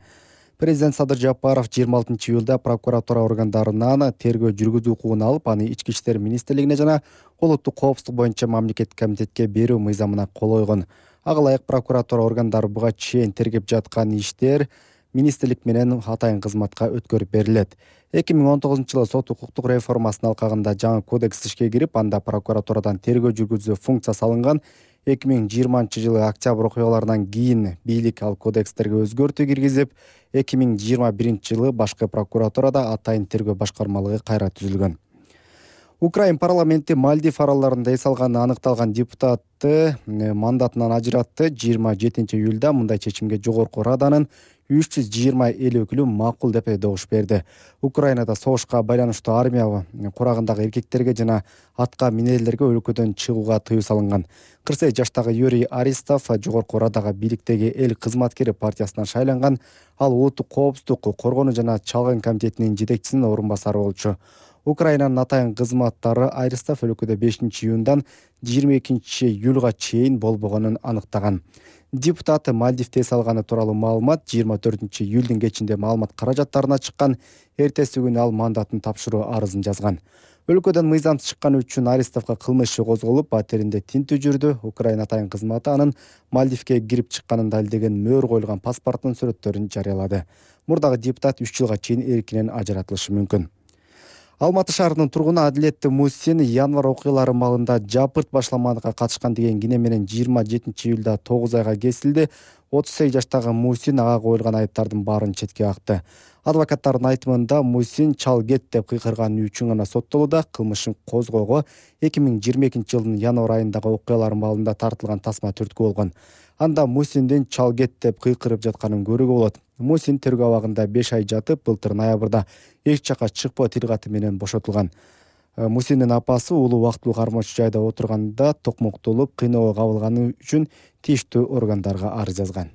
Президент Садыр Жапаров 26-июлда прокуратура органдарынан тергөө жүргүзүү укугун алып, аны Ички иштер министрлигине жана улуттук коопсуздук боюнча мамлекеттик комитетке берүү мыйзамына кол койгон. Ага ылайык прокуратура органдары буга чейин тергеп жаткан иштер министрлик менен атайын кызматка өткөрүп берилет. 2019-жылы сот укуктук реформасынын алкагында жаңы кодекс ишке кирип, анда прокуратурадан тергөө жүргүзүү функциясы алынган. 2020-жылы октябрь окуяларынан кийин бийлик ал кодекстерге өзгөртүү киргизип, 2021-жылы башкы прокуратурада атайын тергөө башкармалыгы кайра түзүлгөн. Украин парламенти Мальдив аралдарында эс алганы аныкталган депутатты мандатынан ажыратты. 27-июлда мындай чечимге жогорку раданын 320 эл өкүлү макул деп добуш берди. Украинада согушка байланыштуу армия курагындагы эркектерге жана атка минелерге өлкөдөн чыгууга тыюу салынган. 48 жаштагы Юрий Аристов жогорку радага бийликтеги эл кызматкери партиясынан шайланган. Ал улуттук коопсуздук, коргонуу жана чалгын комитетинин жетекчисинин орун басары болчу. Украинанын атайын кызматтары Аристов өлкөдө 5-июндан 22-июлга чейин болбогонун аныктаган. Депутат Мальдивде эс алганы тууралуу маалымат 24-июлдун кечинде маалымат каражаттарына чыккан. Эртеси күнү ал мандатын тапшыруу арызын жазган. Өлкөдөн мыйзамсыз чыкканы үчүн Аристовго кылмыш иши козголуп, батиринде тинтүү жүрдү. Украина атайын кызматы анын Мальдивге кирип чыкканын далилдеген мөөр коюлган паспорттун сүрөттөрүн жарыялады. Мурдагы депутат 3 жылга чейин эркинен ажыратылышы мүмкүн. Алматы шаарынын тургуну Адилет Мусин январь окуялары маалында жапырт башламанга катышкан деген кине менен 27-июлда 9 айга кесилди. 38 жаштагы Мусин ага коюлган айыптардын баарын четке какты. Адвокаттардын айтымында Мусин чал кет деп кыйкырганы үчүн гана соттолууда. Кылмышын козгоого 2022-жылдын январь айындагы окуялар маалында тартылган тасма түрткү болгон. Анда Мусиндин чал кет деп кыйкырып жатканын көрүүгө болот. Мусин тергөө абагында 5 ай жатып, былтыр ноябрда эч жака чыкпоо тилгаты менен бошотулган. Мусиндин апасы уулу убактылуу кармоочу жайда отурганда токмоктолуп, кыйноого кабылганы үчүн тийиштүү органдарга арыз жазган.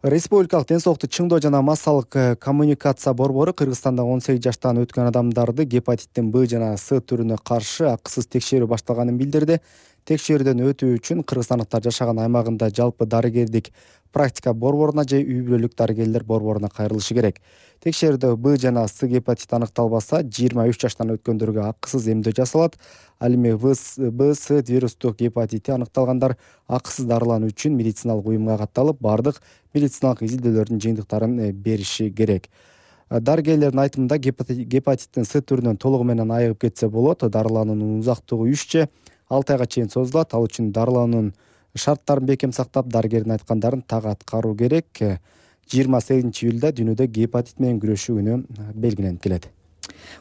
Республикалык ден соолукту чыңдоо жана массалык коммуникация борбору Кыргызстанда 18 жаштан өткөн адамдарды гепатиттин Б жана С түрүнө каршы акысыз текшерүү башталганын билдирди. Текшерүүдөн өтүү үчүн кыргызстандыктар жашаган аймагында жалпы дарыгердик практика борборуна же үй бүлөлүк дарыгерлер борборуна кайрылышы керек. Текшерүүдө Б жана С гепатити аныкталбаса, 23 жаштан өткөндөргө акысыз эмдөө жасалат. Ал эми Б, С вирустук гепатити аныкталгандар акысыз дарылануу үчүн медициналык уюмга катталып, бардык медициналык изилдөөлөрдүн жыйынтыктарын бериши керек. Дарыгерлердин айтымында гепатиттин С түрүнөн толугу менен айыгып кетсе болот. Дарылануунун узактыгы 3 6 айга чейин созулат. Ал үчүн дарылануунун шарттарын бекем сактап, дарыгердин айткандарын так аткаруу керек. 28-июлда дүйнөдө гепатит менен күрөшүү күнү белгиленип келет.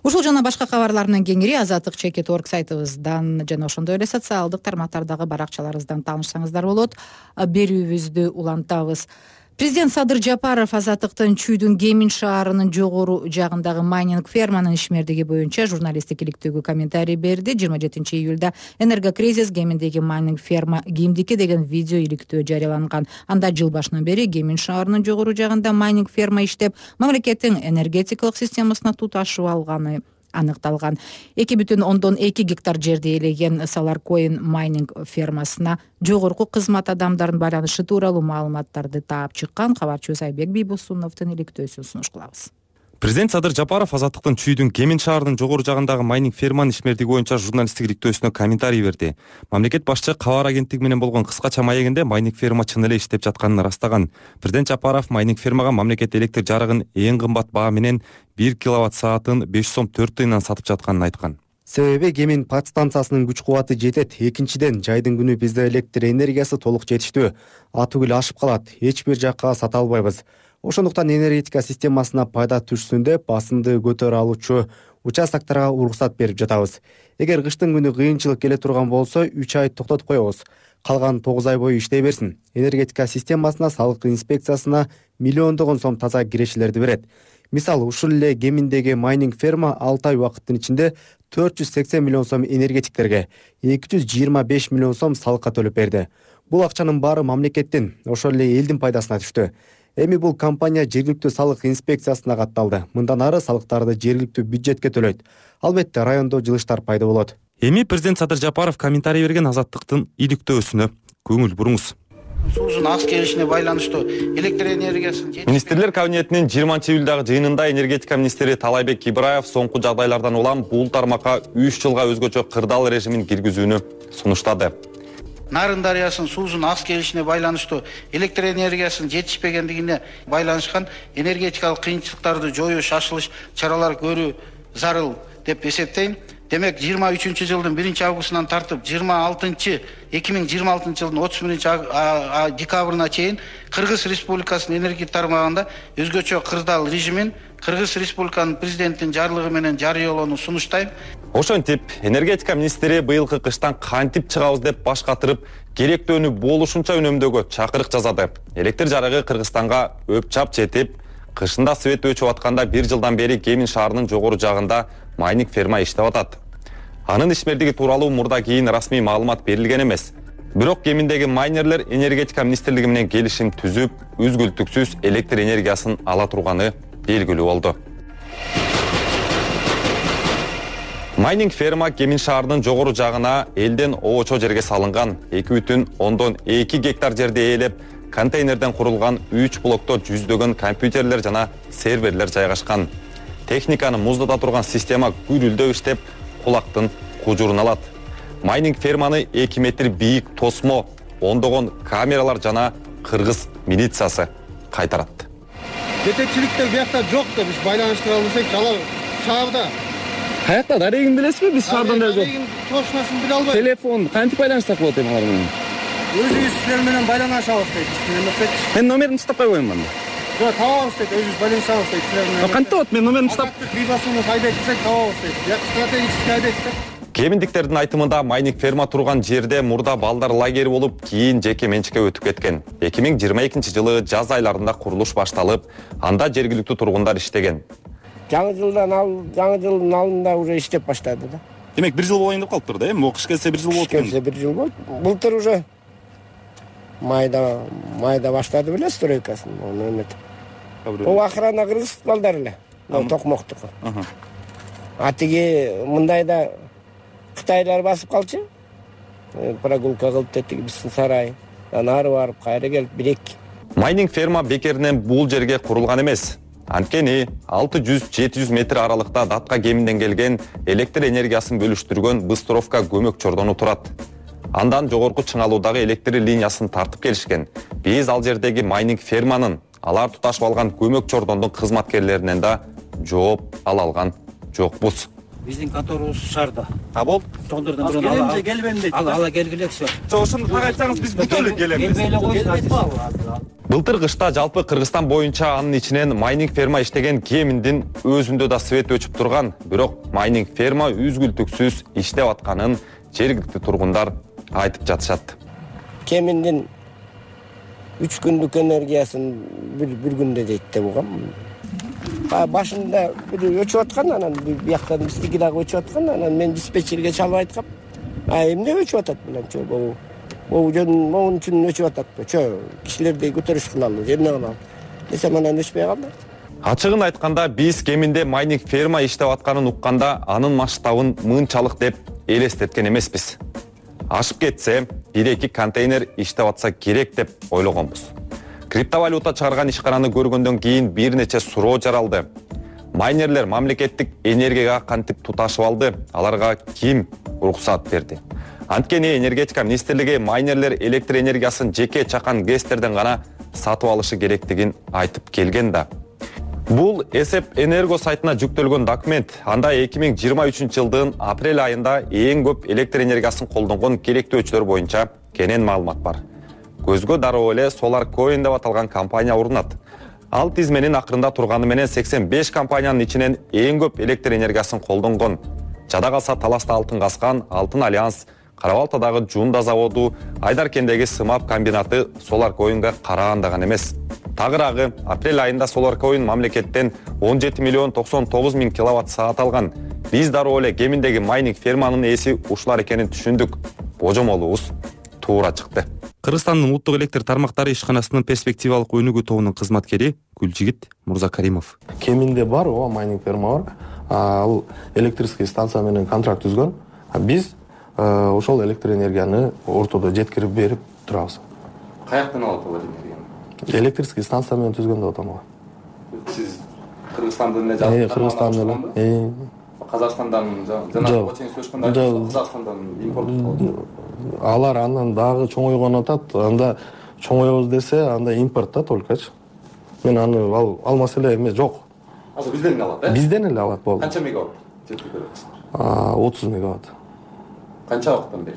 Ушул жана башка кабарлар менен кеңири azattik.org сайтыбыздан жана ошондой эле социалдык тармактардагы баракчаларыбыздан таанышсаңыздар болот. Берүүбүздү улантабыз. Президент Садыр Жапаров Азаттыктын Чүйдүн Кемин шаарынын жогору жагындагы майнинг ферманын ишмердиги боюнча журналисттик иликтөөгө комментарий берди. 27-июлда энергокризис Кеминдеги майнинг ферма кимдики деген видео иликтөө жарыяланган. Анда жыл башынан бери Кемин шаарынын жогору жагында майнинг ферма иштеп, мамлекеттин энергетикалык системасына туташып алганы аныкталган. 2,2 гектар жерди ээлеген Саларкоин майнинг фермасына жогорку кызмат адамдарынын байланышы тууралуу маалыматтарды таап чыккан кабарчыбыз Айбек Бийбосуновдун иликтөөсүн сунуш кылабыз. Президент Садыр Жапаров Азаттыктын Чүйдүн Кемин шаарынын жогору жагындагы майнинг ферманын ишмердиги боюнча журналисттик иликтөөсүнө комментарий берди. Мамлекет башчы кабар агенттиги менен болгон кыскача маегинде майнинг ферма чын эле иштеп жатканын ырастаган. Президент Жапаров майнинг фермага мамлекет электр жарыгын эң кымбат баа менен 1 киловатт саатын 5 сом 4 тыйындан сатып жатканын айткан. Себеби Кемин подстанциясынын күч кубаты жетет. Экинчиден, жайдын күнү бизде электр энергиясы толук жетиштүү. Атүгүл ашып калат. Эч бир жакка сата албайбыз. Ошондуктан энергетика системасына пайда түшсүн деп басымды көтөрө алуучу участокторго уруксат берип жатабыз. Эгер кыштын күнү кыйынчылык келе турган болсо 3 ай токтотуп коебуз. Калган 9 ай бою иштей берсин. Энергетика системасына салык инспекциясына миллиондогон сом таза кирешелерди берет. Мисалы, ушул эле Кеминдеги майнинг ферма 6 ай убакыттын ичинде 480 миллион сом энергетиктерге, 225 миллион сом салыкка төлөп берди. Бул акчанын баары мамлекеттин, ошол эле элдин пайдасына түштү. Эми бул компания жергиликтүү салык инспекциясына катталды. Мындан ары салыктарды жергиликтүү бюджетке төлөйт. Албетте райондо жылыштар пайда болот. Эми президент Садыр Жапаров комментарий берген Азаттыктын иликтөөсүнө көңүл буруңуз. Суусун аз келишине байланыштуу электр энергиясын Министрлер кабинетинин 20-июлдагы жыйынында энергетика министри Талайбек Ибраев соңку жагдайлардан улам бул тармакка 3 жылга өзгөчө кырдаал режимин киргизүүнү сунуштады. Нарын дарыясынын суусун аз келишине байланыштуу электр энергиясынын жетишпегендигине байланышкан энергетикалык кыйынчылыктарды жоюу шашылыш чаралар көрүү зарыл деп эсептейм. Демек 23-жылдын 1-августунан тартып 2026 жылдын 31 декабрына чейин Кыргыз Республикасынын энергия тармагында өзгөчө кырдаал режимин Кыргыз Республиканын президентинин жарлыгы менен жарыялоону сунуштайм. Ошентип, энергетика министри быйылкы кыштан кантип чыгабыз деп баш катырып, керектөөнү болушунча үнөмдөөгө чакырык жасады. Электр жарыгы Кыргызстанга өпчап жетип, кышында свет өчүп атканда 1 жылдан бери Кемин шаарынын жогору жагында майнинг ферма иштеп атат. Анын ишмердиги тууралуу мурда кийин расмий маалымат берилген эмес. Бирок Кеминдеги майнерлер энергетика министрлиги менен келишим түзүп, үзгүлтүксүз электр энергиясын ала турганы белгилүү болду. Майнинг ферма Кемин шаарынын жогору жагына элден оочо жерге салынган 2,2 гектар жерди ээлеп, контейнерден курулган 3 блокто жүздөгөн компьютерлер жана серверлер жайгашкан. Техниканы муздата турган система күрүлдөп иштеп, кулактын кужурун алат. Майнинг ферманы 2 метр бийик тосмо, ондогон камералар жана кыргыз милициясы кайтарат. Жетекчиликте биякта жок да биз байланыштыра алсак, шаарда. Каякта дарегин билесизби? Биз шаардан да жок. Точносын биле албайм. Телефон кантип байланыштак болот эми алар менен? Өзүбүз силер менен байланышабыз дейт. Мен номерин тастап койгоюм анда. Жок, табабыз дейт, өзүбүз байланышабыз дейт силер менен. Кантип болот? Мен номерин тастап Бийбосунов Айбек десек табабыз дейт. Як стратегический Айбек деп. Кеминдиктердин айтымында майнинг ферма турган жерде мурда балдар лагери болуп, кийин жеке менчикке өтүп кеткен. 2022 жылы жаз айларында курулуш башталып, анда жергиликтүү тургундар иштеген. Жаңы жылдын алдында уже иштеп баштады да. Демек 1 жыл болайын деп калыптыр да, эми кыш келсе 1 жыл болот. Келсе 1 жыл болот. Былтыр уже майда баштады беле стройкасын. Оны эмет. Ол охрана кыргыз балдар эле. Токмоктуку. Атиги мындайда Кытайлар басып калчу. Прогулка кылып тетиги биздин сарай. Ары барып, кайра келип бирек. Майнинг ферма бекеринен бул жерге курулган эмес. Анткени 600-700 метр аралыкта Датка Кеминден келген электр энергиясын бөлүштүргөн Быстровка көмөк чордону турат. Андан жогорку чыңалуудагы электр линиясын тартып келишкен. Биз ал жердеги майнинг ферманын алар туташып алган көмөк чордондун кызматкерлеринен да жооп ала алган жокпуз. Биздин конторубуз шаарда. А болду. Тондордон бирөө келбейм дейт. Ала келгилексиз. Ошону так айтсаңыз биз бүт эле келебиз. Былтыр кышта жалпы Кыргызстан боюнча анын ичинен майнинг ферма иштеген Кеминдин өзүндө да свет өчүп турган, бирок майнинг ферма үзгүлтүксүз иштеп атканын жергиликтүү тургундар айтып жатышат. Кеминдин 3 күндүк энергиясын бир күндө дейт деп угам. Башында бир өчүп аткан, анан бияктан биздики дагы өчүп аткан, анан мен диспетчерге чалып айткам. Эмне өчүп атат билемчи, могун үчүн өчүп атат. Кишилерди көтөрүш кылалы, эмне кылалы. Десем анан өчпөй калды. Ачыгын айтканда биз кеминде майнинг ферма иштеп атканын укканда анын масштабын мынчалык деп элестеткен эмеспиз. Ашып кетсе 1-2 контейнер иштеп атса керек деп ойлогонбуз. Криптовалюта чыгарган ишкананы көргөндөн кийин бир нече суроо жаралды. Майнерлер мамлекеттик энергияга кантип туташып алды? Аларга ким уруксат берди? Анткени энергетика министрлиги майнерлер электр энергиясын жеке чакан ГЭСтерден гана сатып алышы керектигин айтып келген да. Бул Эсеп Энерго сайтына жүктөлгөн документ. Анда 2023 жылдын апрель айында эң көп электр энергиясын колдонгон керектөөчүлөр боюнча кенен маалымат бар. Көзгө дароо эле SolarCoin деп аталган компания урунат. Ал тизменин акырында турганы менен 85 компаниянын ичинен эң көп электр энергиясын колдонгон. Жада калса Таласта алтын каскан Алтын Альянс, Кара-Балтадагы Жунда заводу, Айдаркендеги Сымап комбинаты SolarCoin'га караган эмес. Тагыраагы апрель айында SolarCoin мамлекеттен 17 миллион 99 миң киловатт саат алган. Биз дароо эле кеминдеги майнинг ферманын ээси ушулар экенин түшүндүк. Божомолубуз туура чыкты. Кыргызстандын улуттук электр тармактары ишканасынын перспективалык өнүгүү тобунун кызматкери Гүлжигит Мурзакаримов. Кеминде бар, ооба майнинг ферма бар. Ал электрический станция менен контракт түзгөн. Биз ошол электр энергияны ортодо жеткирип берип турабыз. Каяктан алат алар энергияны? Электрический станция менен түзгөн деп атам. Сиз Кыргызстандын эле Кыргызстандын эле. Казакстандан жана Чечен сөчкөндө Казакстандан импорт алар андан дагы чоңойгон атат. Анда чоңойбуз десе, анда импорт да толкочу. Мен аны ал маселе эмес жок. Азыр бизден эле алат, Бизден эле алат болду. Канча мегаватт жеткирип бересиз? 30 мегаватт. Канча убакыттан бери?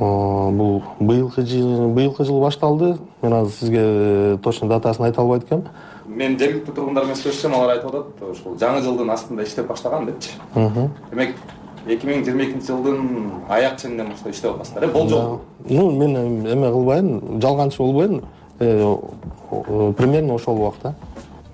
Бул быйылкы жыл башталды. Мен азыр сизге точно датасын айта албайт экенмин. Мен жергиликтүү тургундар менен сүйлөшсөм, алар айтып атат, ошол жаңы жылдын астында иштеп баштаган депчи. Демек 2022 жылдын аяк ченинен баштап иштеп атасыздар, болжол. Мен эме кылбайм, жалганчы болбойм. Примерно ошол убакта.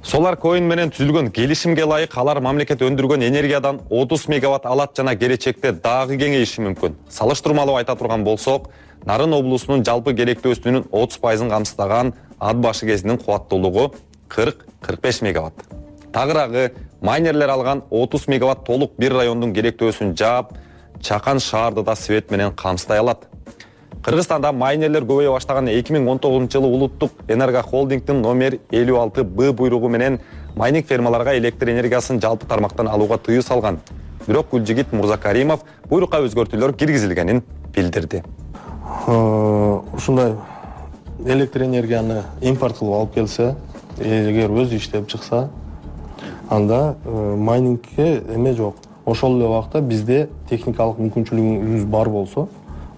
SolarCoin менен түзүлгөн келишимге ылайык алар мамлекет өндүргөн энергиядан 30 мегаватт алат жана келечекте дагы кеңейиши мүмкүн. Салыштырмалуу айта турган болсок, Нарын облусунун жалпы керектөөсүнүн 30%ын камсыздаган ат башы кезинин кубаттуулугу 40-45 мегаватт. Тагыраагы майнерлер алган 30 мегаватт толук бир райондун керектөөсүн жаап, чакан шаарды да свет менен камсыздай алат. Кыргызстанда майнерлер көбөйө баштаган 2019 жылы улуттук энерго холдингдин номер 56Б буйругу менен майнинг фермаларга электр энергиясын жалпы тармактан алууга тыюу салган. Бирок Гүлжигит Мурзакаримов буйрукка өзгөртүүлөр киргизилгенин билдирди. Ушундай электр энергияны импорт кылып алып келсе, эгер өзү иштеп чыкса, анда майнингке эме жок. Ошол эле убакта бизде техникалык мүмкүнчүлүгүбүз бар болсо,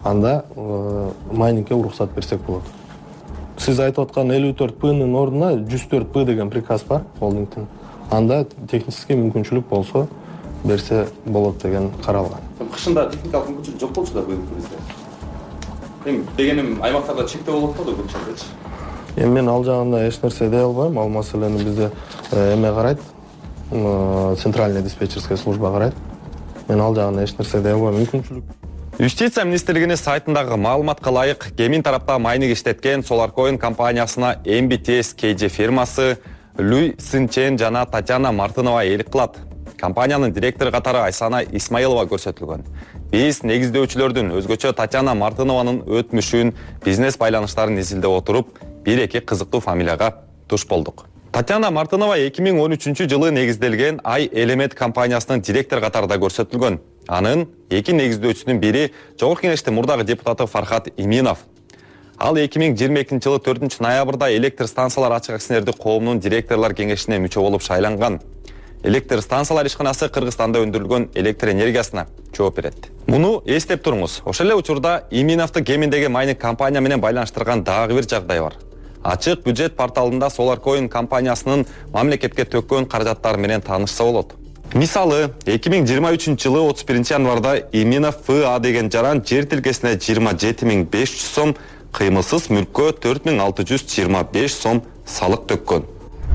анда майнингке уруксат берсек болот. Сиз айтып аткан 54П'нын ордуна 104П деген приказ бар холдингдин. Анда технический мүмкүнчүлүк болсо берсе болот деген каралган. Кышында техникалык мүмкүнчүлүк жок болчу да быйыл бизде. Эми дегеним аймактарда чектөө болот да көпчүлүкчү. Мен ал жагында эч нерсе дей албайм. Ал маселени бизде эме карайт. Центральная диспетчерская служба карайт. Мен ал жагына эч нерсе дей албайм. Мүмкүнчүлүк. Юстиция министрлигинин сайтындагы маалыматка ылайык, Кемин тарапта майнинг иштеткен SolarCoin компаниясына MBTS KG фирмасы Люй Сынчен жана Татьяна Мартынова ээлик кылат. Компаниянын директору катары Айсана Исмаилова көрсөтүлгөн. Биз негиздөөчүлөрдүн өзгөчө Татьяна Мартынованын өтмүшүн, бизнес байланыштарын изилдеп отуруп, 1-2 кызыктуу фамилияга туш болдук. Татьяна Мартынова 2013 жылы негизделген Ай Элемент компаниясынын директору катарында көрсөтүлгөн. Анын эки негиздөөчүсүнүн бири Жогорку Кеңештин мурдагы депутаты Фархат Иминов. Ал 2022 жылы 4 ноябрда электр станциялар ачык акционердик коомунун директорлор кеңешине мүчө болуп шайланган. Электр станциялар ишканасы Кыргызстанда өндүрүлгөн электр энергиясына жооп берет. Муну эстеп туруңуз. Ошол эле учурда Иминовду Кеминдеги майнинг компания менен байланыштырган дагы бир жагдай бар. Ачык бюджет порталында SolarCoin компаниясынын мамлекетке төккөн каражаттары менен таанышса болот. Мисалы, 2023 жылы 31 январда Иминов ФА деген жаран жер тилкесине 27.500 сом, кыймылсыз мүлккө 4.625 сом салык төккөн.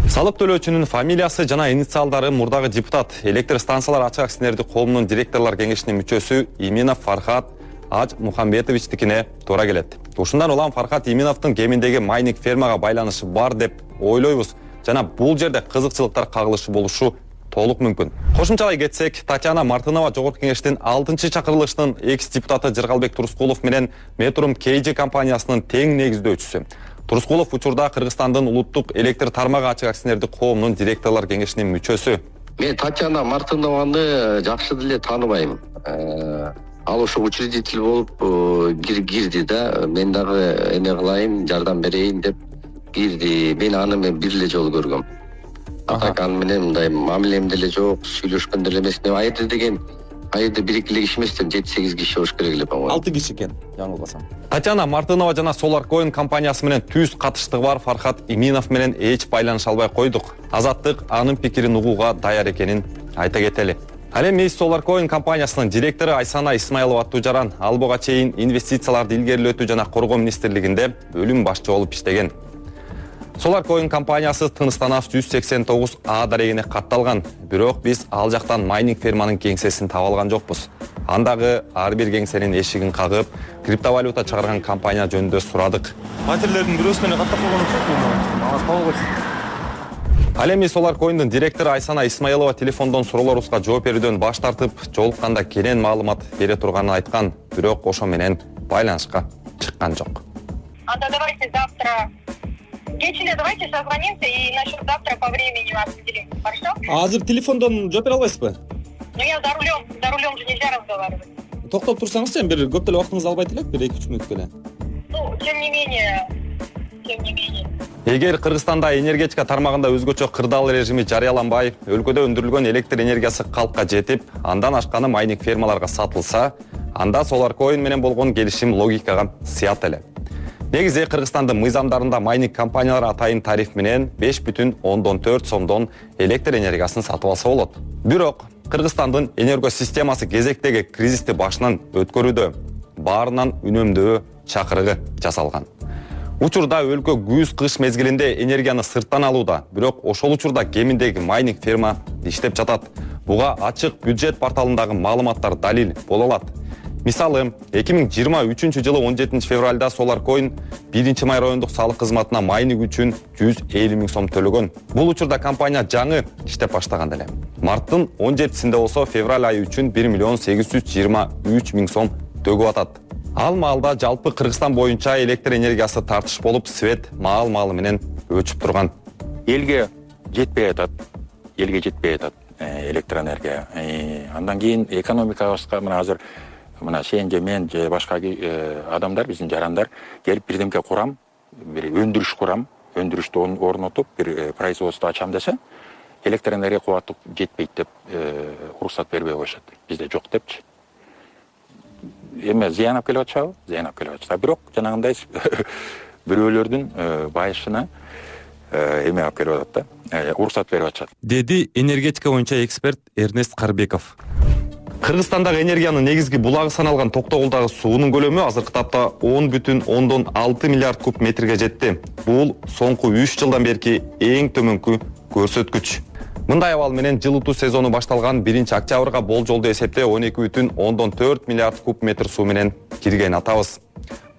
Салык төлөөчүнүн фамилиясы жана инициалдары мурдагы депутат, электр станциялар ачык акционердик коомунун директорлор кеңешинин мүчөсү Иминов Фархат Аж Мухамбетовичтикине туура келет. Ушундан улам Фархат Иминовдун Кеминдеги майнинг фермага байланышы бар деп ойлойбуз. жана бул жерде кызыкчылыктар кагылышы болушу толук мүмкүн. Кошумчалай кетсек, Татьяна Мартынова Жогорку Кеңештин 6-чакырылышынын экс-депутаты Жыргалбек Турускулов менен Metrum KG компаниясынын тең негиздөөчүсү. Турускулов учурда Кыргызстандын улуттук электр тармагы ачык акционердик коомунун директорлор кеңешинин мүчөсү. Мен Татьяна Мартынованы жакшы деле тааныбайм. Ал ошо учредитель болуп кирди да, мен дагы эме кылайын, жардам берейин деп кирди. Мен аны бир эле жолу көргөм. Так аны менен мындай мамилем деле жок, сүйлөшкөн деле эмес. Айырды деген айырды 1-2 эле киши эмес, 7-8 киши болуш керек эле по-моему. 6 киши экен, жаңылбасам. Татьяна Мартынова жана Solarcoin компаниясы менен түз катыштыгы бар Фархат Иминов менен эч байланыша албай койдук. Азаттык анын пикирин угууга даяр экенин айта кетели. Ал эми Solarcoin компаниясынын директору Айсана Исмаилова аттуу жаран ал буга чейин инвестицияларды илгерилетүү жана коргоо министрлигинде бөлүм башчы болуп иштеген. Solarcoin компаниясы Тыныстанов 189А дарегине катталган, бирок биз ал жактан майнинг ферманын кеңсесин таба алган жокпуз. Андагы ар бир кеңсенин эшигин кагып, криптовалюта чыгарган компания жөнүндө сурадык. Материалдердин бирөөсүнө каттап койгон окшойт. Ал эми Solarcoin'дун директору Айсана Исмаилова телефондон суроолорубузга жооп берүүдөн баш тартып, жолукканда кенен маалымат бере турганын айткан, бирок ошо менен байланышка чыккан жок. Анда давайте завтра кечинде давайте созвонимся и насчет завтра по времени определим. Хорошо? Азыр телефондон жооп бере албайсызбы? Ну я за рулем же нельзя разговаривать. Токтоп турсаңыз, бир көп деле убактыңызды албайт элек, бир 2-3 мүнөткө эле. Ну, тем не менее. Эгер Кыргызстанда энергетика тармагында өзгөчө кырдаал режими жарыяланбай, өлкөдө өндүрүлгөн электр энергиясы калкка жетип, андан ашканы майнинг фермаларга сатылса, анда Solarcoin менен болгон келишим логикага сыят эле. Негизи Кыргызстандын мыйзамдарында майнинг компаниялар атайын тариф менен 5,4 сомдон электр энергиясын сатып алса болот. Бирок Кыргызстандын энергосистемасы кезектеги кризисти башынан өткөрүүдө, баарынан үнөмдөө чакырыгы жасалган. Учурда өлкө күз-кыш мезгилинде энергияны сырттан алууда, бирок ошол учурда кеминдеги майнинг ферма иштеп жатат. Буга ачык бюджет порталындагы маалыматтар далил боло алат. Мисалы, 2023 жылы 17 февралда Solarcoin 1-май райондук салык кызматына майнинг үчүн 150 000 сом төлөгөн. Бул учурда компания жаңы иштеп баштаган эле. Марттын 17-синде болсо февраль айы үчүн 1,823 000 сом төгүп атат. Ал маалда жалпы Кыргызстан боюнча электр энергиясы тартыш болуп, свет маал-маалы менен өчүп турган. Элге жетпей атат электр энергия. Андан кийин экономикабызга мына азыр мына сен же мен же башка адамдар, биздин жарандар келип бирдемке курам, бир өндүрүш курам, өндүрүштү орнотуп, бир производство ачам десе, электр энергия кубаты жетпейт деп уруксат бербей коюшат. Бизде жок депчи. Эме зыян алып келип атышабы? Зыян алып келип атышат. Бирок жанагындай бирөөлөрдүн байышына эме алып келип атат да, уруксат берип атышат. Деди энергетика боюнча эксперт Эрнест Карбеков. Кыргызстандагы энергиянын негизги булагы саналган Токтогулдагы суунун көлөмү азыркы тапта 10,6 миллиард куб метрге жетти. Бул соңку 3 жылдан берки эң төмөнкү көрсөткүч. Мындай абал менен жылытуу сезону башталган 1-октябрга болжолдуу эсепте 12,4 миллиард куб метр суу менен кирген атабыз.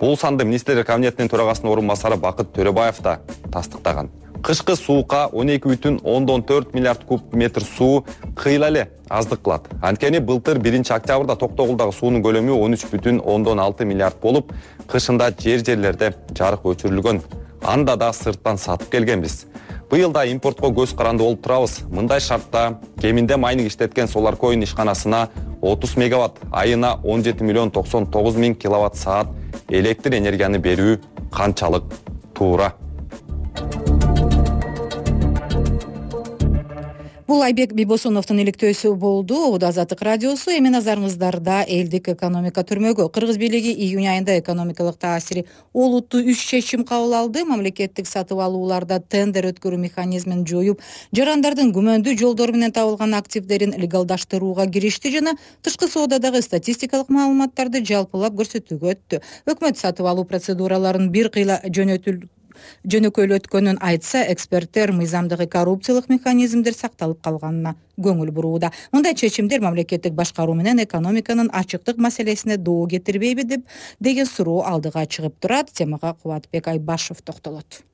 Бул санды министрлер кабинетинин төрагасынын орун басары Бакыт Төрөбаев да тастыктаган. Кышкы суукка 12,4 миллиард куб метр суу кыйла эле аздык кылат. Анткени былтыр 1-октябрда Токтогулдагы суунун көлөмү 13,6 миллиард болуп, кышында жерлерде жарык өчүрүлгөн. Анда да сырттан сатып келгенбиз. Быйыл да импортко көз каранды болуп турабыз. Мындай шартта кеминде майнинг иштеткен Solarcoin ишканасына 30 мегаватт, айына 17,99 000 киловатт саат электр энергияны берүү канчалык туура? Бул Айбек Бибосуновдун иликтөөсү болду. Убада Азаттык радиосу. Эми назарыңыздарда элдик экономика түрмөгү. Кыргыз бийлиги июнь айында экономикалык таасири олуттуу 3 чечим кабыл алды. Мамлекеттик сатып алууларда тендер өткөрүү механизмин жоюп, жарандардын күмөндүү жолдору менен табылган активдерин легалдаштырууга киришти жана тышкы соодадагы статистикалык маалыматтарды жалпылап көрсөтүүгө өттү. Өкмөт сатып алуу процедураларын бир кыйла жөнөкөйлөткөнүн айтса, эксперттер мыйзамдагы коррупциялык механизмдер сакталып калганына көңүл бурууда. Мындай чечимдер мамлекеттик башкаруу менен экономиканын ачыктык маселесине доо кетирбейби деген суроо алдыга чыгып турат. Темага Кубатбек Айбашев токтолот.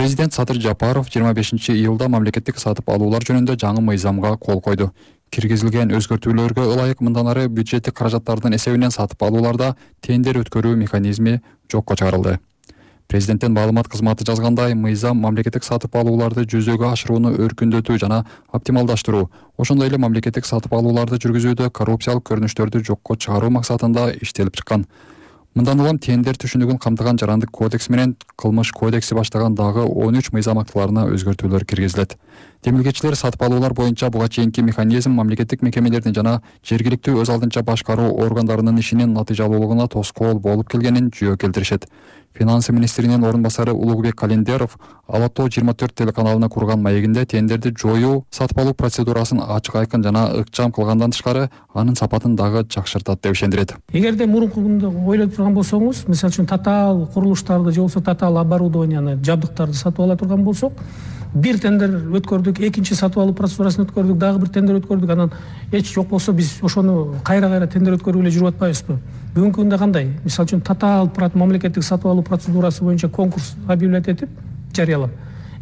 Президент Садыр Жапаров 25-июлда мамлекеттик сатып алуулар жөнүндө жаңы мыйзамга кол койду. Киргизилген өзгөртүүлөргө ылайык мындан ары бюджеттик каражаттардын эсебинен сатып алууларда тендер өткөрүү механизми жокко чыгарылды. Президенттин маалымат кызматы жазгандай, мыйзам мамлекеттик сатып алууларды жүзөгө ашырууну өркүндөтүү жана оптималдаштыруу, ошондой эле мамлекеттик сатып алууларды жүргүзүүдө коррупциялык көрүнүштөрдү жокко чыгаруу максатында иштелип чыккан. Мындан улам тендер түшүнүгүн камтыган Жарандык кодекс менен Кылмыш кодекси баштаган дагы 13 мыйзам актыларына өзгөртүүлөр киргизилет. Демилгечилер сатып алуулар боюнча буга чейинки механизм мамлекеттик мекемелердин жана жергиликтүү өз алдынча башкаруу органдарынын ишинин натыйжалуулугуна тоскоол болуп келгенин жүйө келтиришет. Финансы министринин орун басары Улугбек Календеров Алатоо 24 телеканалына курган маегинде тендерди жоюу сатып алуу процедурасын ачык айкын жана ыкчам кылгандан тышкары анын сапатын дагы жакшыртат деп ишендирет. Эгерде мурункугунда ойлоп турган болсоңуз, мисалы үчүн татаал курулуштарды же болбосо татаал оборудованияны, жабдыктарды сатып ала турган болсок, бир тендер өткөрдүк, экинчи сатып алуу процедурасын өткөрдүк, дагы бир тендер өткөрдүк, анан эч жок болсо биз ошону кайра тендер өткөрүп эле жүрүп атпайбызбы? Бүгүнкү күндө кандай? Мисалы үчүн татаал мамлекеттик сатып алуу процедурасы боюнча конкурс объявлять этип, жарыялап,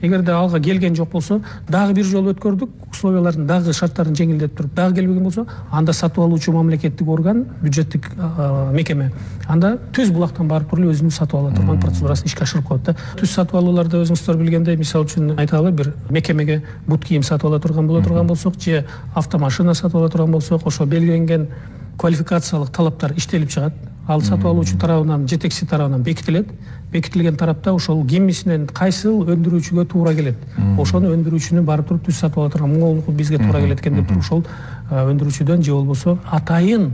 эгерде алга келген жок болсо, дагы бир жолу өткөрдүк, условияларын дагы шарттарын жеңилдетип туруп, дагы келбеген болсо, анда сатып алуучу мамлекеттик орган, бюджеттик мекеме, анда түз булактан барып туруп өзүнүн сатып ала турган процедурасын ишке ашырып коет да. Түз сатып алууларда өзүңүздөр билгендей, мисалы үчүн айталы, бир мекемеге бут кийим сатып ала турган боло турган болсок, же автомашина сатып ала турган болсок, ошо белгиленген квалификациялык талаптар иштелип чыгат. Ал сатып алуучу тарабынан, жетекчи тарабынан бекитилет. Бекитилген тарапта ошол кимисинен кайсыл өндүрүүчүгө туура келет. Ошону өндүрүүчүнү барып туруп түз сатып ала турган моңолдуку бизге туура келет экен деп туруп ошол өндүрүүчүдөн же болбосо атайын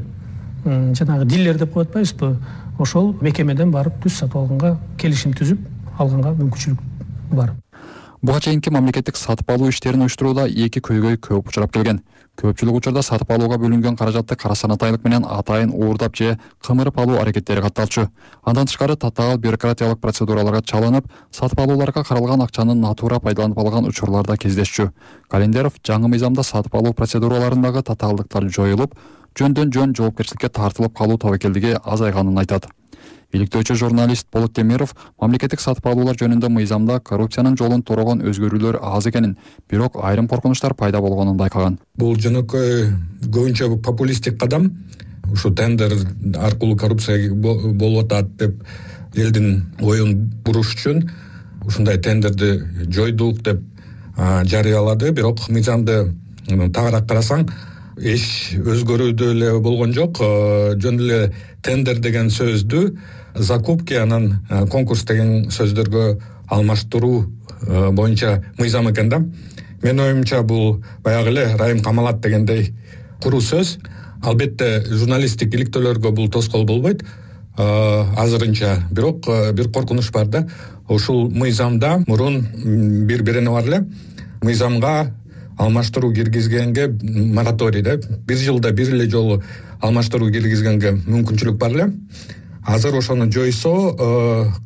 жанагы дилер деп коет атпайбызбы? Ошол мекемеден барып түз сатып алганга келишим түзүп алганга мүмкүнчүлүк бар. Буга чейинки мамлекеттик сатып алуу иштерин уюштурууда эки көйгөй көп учурап келген. Көпчүлүк учурда сатып алууга бөлүнгөн каражатты карасанатайлык менен атайын уурдап же кымырып алуу аракеттери катталчу. Андан тышкары татаал бюрократиялык процедураларга чалынып, сатып алууларга каралган акчаны натуура пайдаланып алган учурлар да кездешчү. Календеров жаңы мыйзамда сатып алуу процедураларындагы татаалдыктар жоюлуп, жөндөн жөн жоопкерчиликке тартылып калуу тобокелдиги азайганын айтат. Иликтөөчү журналист Болот Темиров мамлекеттик сатып алуулар жөнүндө мыйзамда коррупциянын жолун торогон өзгөрүүлөр аз экенин, бирок айрым коркунучтар пайда болгонун байкаган. Бул жөнөкөй көбүнчө популисттик кадам, ушу тендер аркылуу коррупция болуп атат деп элдин оюн буруш үчүн ушундай тендерди жойдук деп жарыялады, бирок мыйзамды тагыраак карасаң эч өзгөрүүдө эле болгон жок. Жөн эле тендер деген сөздү закупки анан конкурс деген сөздөргө алмаштыруу боюнча мыйзам экен да. Менин оюмча бул баягы эле Райым Камалат дегендей куру сөз. Албетте журналисттик иликтөөлөргө бул тоскоол болбойт азырынча, бирок бир коркунуч бар да. Ушул мыйзамда мурун бир берене бар эле. Мыйзамга алмаштыруу киргизгенге мораторий да, бир жылда бир эле жолу алмаштыруу киргизгенге мүмкүнчүлүк бар эле. Азыр ошону жойсо,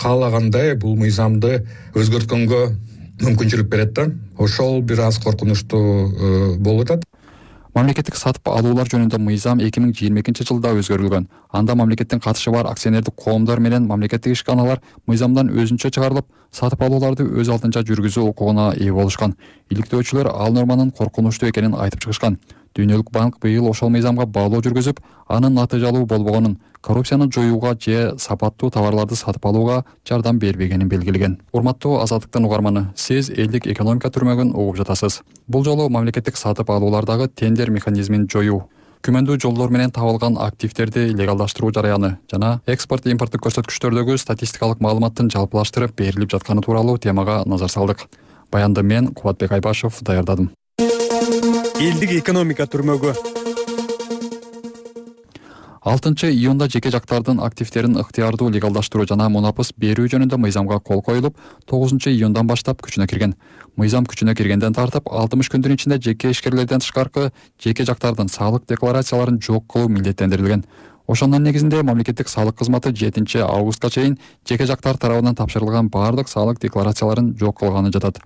каалагандай бул мыйзамды өзгөрткөнгө мүмкүнчүлүк берет да. Ошол бир аз коркунучтуу болуп атат. Мамлекеттик сатып алуулар жөнүндө мыйзам 2022-жылда өзгөрүлгөн. Анда мамлекеттин катышы бар акционердик коомдор менен мамлекеттик ишканалар мыйзамдан өзүнчө чыгарылып, сатып алууларды өз алдынча жүргүзүү укугуна ээ болушкан. Иликтөөчүлөр ал норманын коркунучтуу экенин айтып чыгышкан. Дүйнөлүк банк быйыл ошол мыйзамга баалоо жүргүзүп, анын натыйжалуу болбогонун, коррупцияны жоюуга же сапаттуу товарларды сатып алууга жардам бербегенин белгилеген. Урматтуу Азаттыктын угарманы, сиз элдик экономика түрмөгүн угуп жатасыз. Бул жолу мамлекеттик сатып алуулардагы тендер механизмин жоюу, күмөндүү жолдор менен табылган активдерди легалдаштыруу жараяны жана экспорт импорттук көрсөткүчтөрдөгү статистикалык маалыматтын жалпылаштырып берилип жатканы тууралуу темага назар салдык. Баянды мен Кубатбек Айбашев даярдадым. Элдик экономика түрмөгү. 6-июнда жеке жактардын активдерин ыктыярдуу легалдаштыруу жана мунапыс берүү жөнүндө мыйзамга кол коюлуп, 9-июндан баштап күчүнө кирген. Мыйзам күчүнө киргенден тартып 60 күндүн ичинде жеке ишкерлерден тышкаркы жеке жактардын салык декларацияларын жок кылуу милдеттендирилген. Ошонун негизинде мамлекеттик салык кызматы 7 августка чейин жеке жактар тарабынан тапшырылган баардык салык декларацияларын жок кылганы жатат.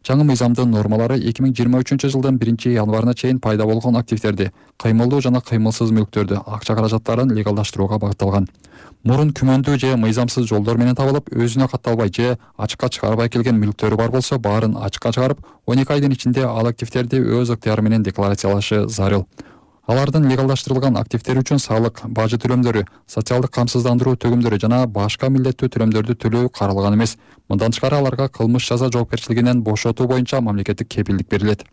Жаңы мыйзамдын нормалары 2023 жылдын 1 январына чейин пайда болгон активдерди, кыймылдуу жана кыймылсыз мүлктөрдү, акча каражаттарын легалдаштырууга багытталган. Мурун күмөндүү же мыйзамсыз жолдор менен табылып, өзүнө катталбай же ачыкка чыгарбай келген мүлктөрү бар болсо, баарын ачыкка чыгарып, 12 айдын ичинде ал активдерди өз ыктыяры менен декларациялашы зарыл. Алардын легалдаштырылган активдери үчүн салык, бажы төлөмдөрү, социалдык камсыздандыруу төгүмдөрү жана башка милдеттүү төлөмдөрдү төлөө каралган эмес. Мындан тышкары аларга кылмыш жаза жоопкерчилигинен бошотуу боюнча мамлекеттик кепилдик берилет.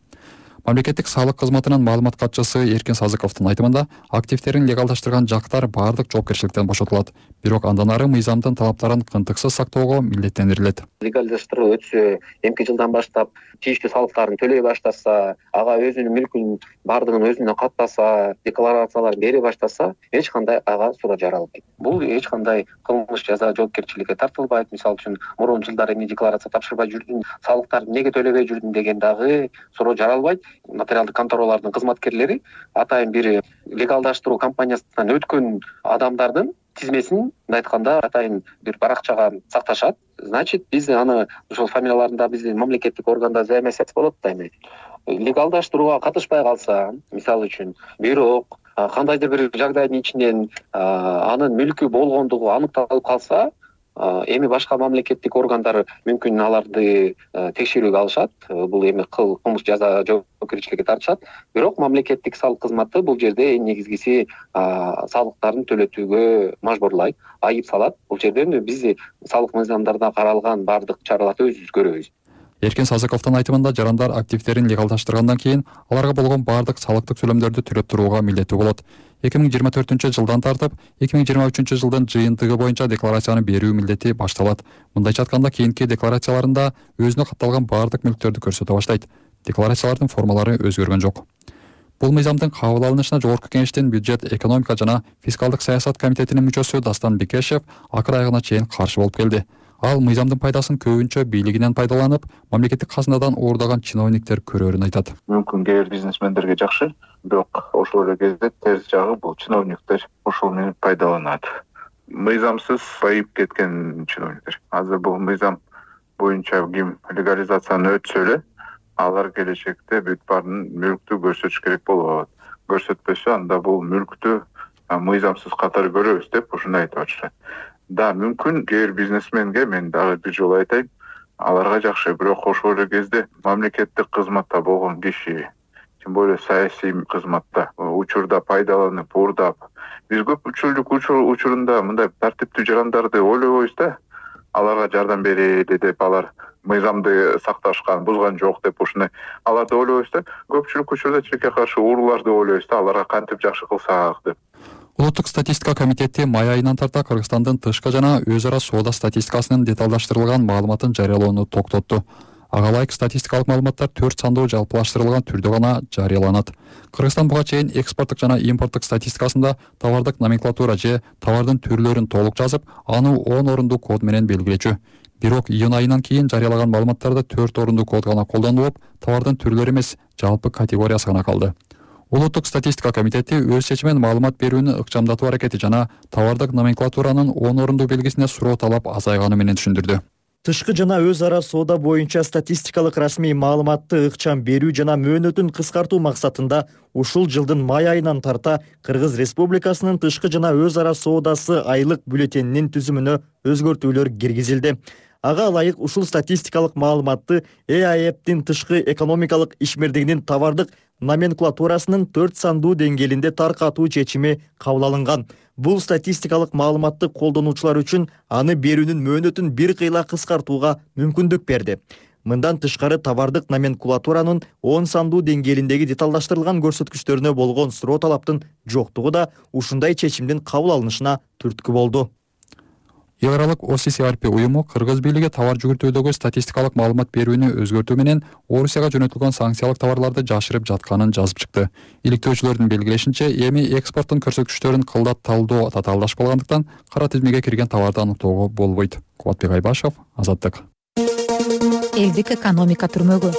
Мамлекеттик салык кызматынын маалымат катчысы Эркин Сазыковдун айтымында, активдерин легалдаштырган жактар баардык жоопкерчиликтен бошотулат. Бирок андан ары мыйзамдын талаптарын кынтыксыз сактоого милдеттендирилет. Легалдаштыруу өтсө, эмки жылдан баштап тийиштүү салыктарын төлөй баштаса, ага өзүнүн мүлкүнүн баардыгын өзүнө каттаса, декларацияларын бере баштаса, эч кандай ага суда жаралбайт. Бул эч кандай кылмыш жаза жоопкерчиликке тартылбайт. Мисалы үчүн, мурун жылдары эмне декларация тапшырбай жүрдүң, салыктарды эмнеге төлөбөй жүрдүң деген дагы суроо жаралбайт. Нотариалдык конторалардын кызматкерлери атайын бир легалдаштыруу компаниясынан өткөн адамдардын тизмесин, мындай айтканда, атайын бир баракчага сакташат. Значит, биз аны ошол фамилияларында биздин мамлекеттик органда заемосвязь болот да эми. Легалдаштырууга катышпай калса, мисалы үчүн, бирок кандайдыр бир жагдайдын ичинен анын мүлкү болгондугу аныкталып калса, эми башка мамлекеттик органдар мүмкүн аларды текшерүүгө алышат. Бул эми кылмыш жаза жоопкерчиликке тартышат. Бирок мамлекеттик салык кызматы бул жерде эң негизгиси салыктарын төлөтүүгө мажбурлайт, айып салат. Бул жерден биз салык мыйзамдарында каралган баардык чараларды өзүбүз көрөбүз. Эркин Сазыковдун айтымында, жарандар активдерин легалдаштыргандан кийин аларга болгон баардык салыктык төлөмдөрдү төлөп турууга милдеттүү болот. 2024 жылдан тартып 2023 жылдын жыйынтыгы боюнча декларацияны берүү милдети башталат. Мындайча айтканда, кийинки декларацияларында өзүнө катталган баардык мүлктөрдү көрсөтө баштайт. Декларациялардын формалары өзгөргөн жок. Бул мыйзамдын кабыл алынышына Жогорку Кеңештин бюджет, экономика жана фискалдык саясат комитетинин мүчөсү Дастан Бекешев акыр айыгына чейин каршы болуп келди. Ал мыйзамдын пайдасын көбүнчө бийлигинен пайдаланып, мамлекеттик казынадан оордаган чиновниктер көрөрүн айтат. Мүмкүн кээ бир бизнесмендерге жакшы, бирок ошол эле кезде терс жагы бул чиновниктер ошол менен пайдаланат. Мыйзамсыз байып кеткен чиновниктер. Азыр бул мыйзам боюнча ким легализацияны өтсө эле, алар келечекте бүт баарын мүлктү көрсөтүш керек болот. Көрсөтпөсө, анда бул мүлктү мыйзамсыз катары көрөбүз деп ушундай айтып атышат. Да, мүмкүн кээ бир бизнесменге мен дагы бир жолу айтайын, аларга жакшы, бирок ошол эле кезде мамлекеттик кызматта болгон киши, тем более саясий кызматта учурда пайдаланып, уурдап, биз көпчүлүк учурунда мындай тартиптүү жарандарды ойлобойбуз да, аларга жардам берели деп, алар мыйзамды сакташкан, бузган жок деп ушундай аларды ойлойбуз да. Көпчүлүк учурда тилекке каршы урууларды ойлойбуз да, аларга кантип жакшы кылсак деп. Улуттук статистика комитети май айынан тарта Кыргызстандын тышкы жана өз ара соода статистикасынын деталдаштырылган маалыматын жарыялоону токтотту. Ага ылайык статистикалык маалыматтар 4 сандуу жалпылаштырылган түрдө гана жарыяланат. Кыргызстан буга чейин экспорттук жана импорттук статистикасында товардык номенклатура же товардын түрлөрүн толук жазып, аны 10 орундуу код менен белгилечү. Бирок июнь айынан кийин жарыялаган маалыматтарда 4 орундуу код гана колдонулуп, товардын түрлөрү эмес, жалпы категориясы гана калды. Улуттук статистика комитети өз чечимин маалымат берүүнү ыкчамдатуу аракети жана товардык номенклатуранын 10 орундуу белгисине суроо талап азайганы менен түшүндүрдү. Тышкы жана өз ара соода боюнча статистикалык расмий маалыматты ыкчам берүү жана мөөнөтүн кыскартуу максатында ушул жылдын май айынан тарта Кыргыз Республикасынын тышкы жана өз ара соодасы айлык бюллетенинин түзүмүнө өзгөртүүлөр киргизилди. Ага ылайык ушул статистикалык маалыматты ЭАЭПтин тышкы экономикалык ишмердигинин товардык номенклатурасынын 4 сандуу деңгээлинде таркатуу чечими кабыл алынган. Бул статистикалык маалыматты колдонуучулар үчүн аны берүүнүн мөөнөтүн бир кыйла кыскартууга мүмкүндүк берди. Мындан тышкары товардык номенклатуранын 10 сандуу деңгээлиндеги деталдаштырылган көрсөткүчтөрүнө болгон суроо талаптын жоктугу да ушундай чечимдин кабыл алынышына түрткү болду. Эл аралык ОССЕ уюму Кыргыз бийлиги товар жүгүртүүдөгү статистикалык маалымат берүүнү өзгөртүү менен Орусияга жөнөтүлгөн санкциялык товарларды жашырып жатканын жазып чыкты. Иликтөөчүлөрдүн белгилешинче, эми экспорттун көрсөткүчтөрүн кылдат талдоо татаалдаш болгондуктан кара тизмеге кирген товарды аныктоого болбойт. Кубатбек Айбашев, Азаттык. Элдик экономика түрмөгү.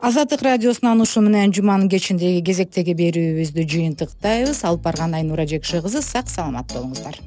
Азаттык радиосунан ушу менен жуманын кечиндеги кезектеги берүүбүздү жыйынтыктайбыз. Алып барган Айнура Жекши кызы сак саламат болуңуздар.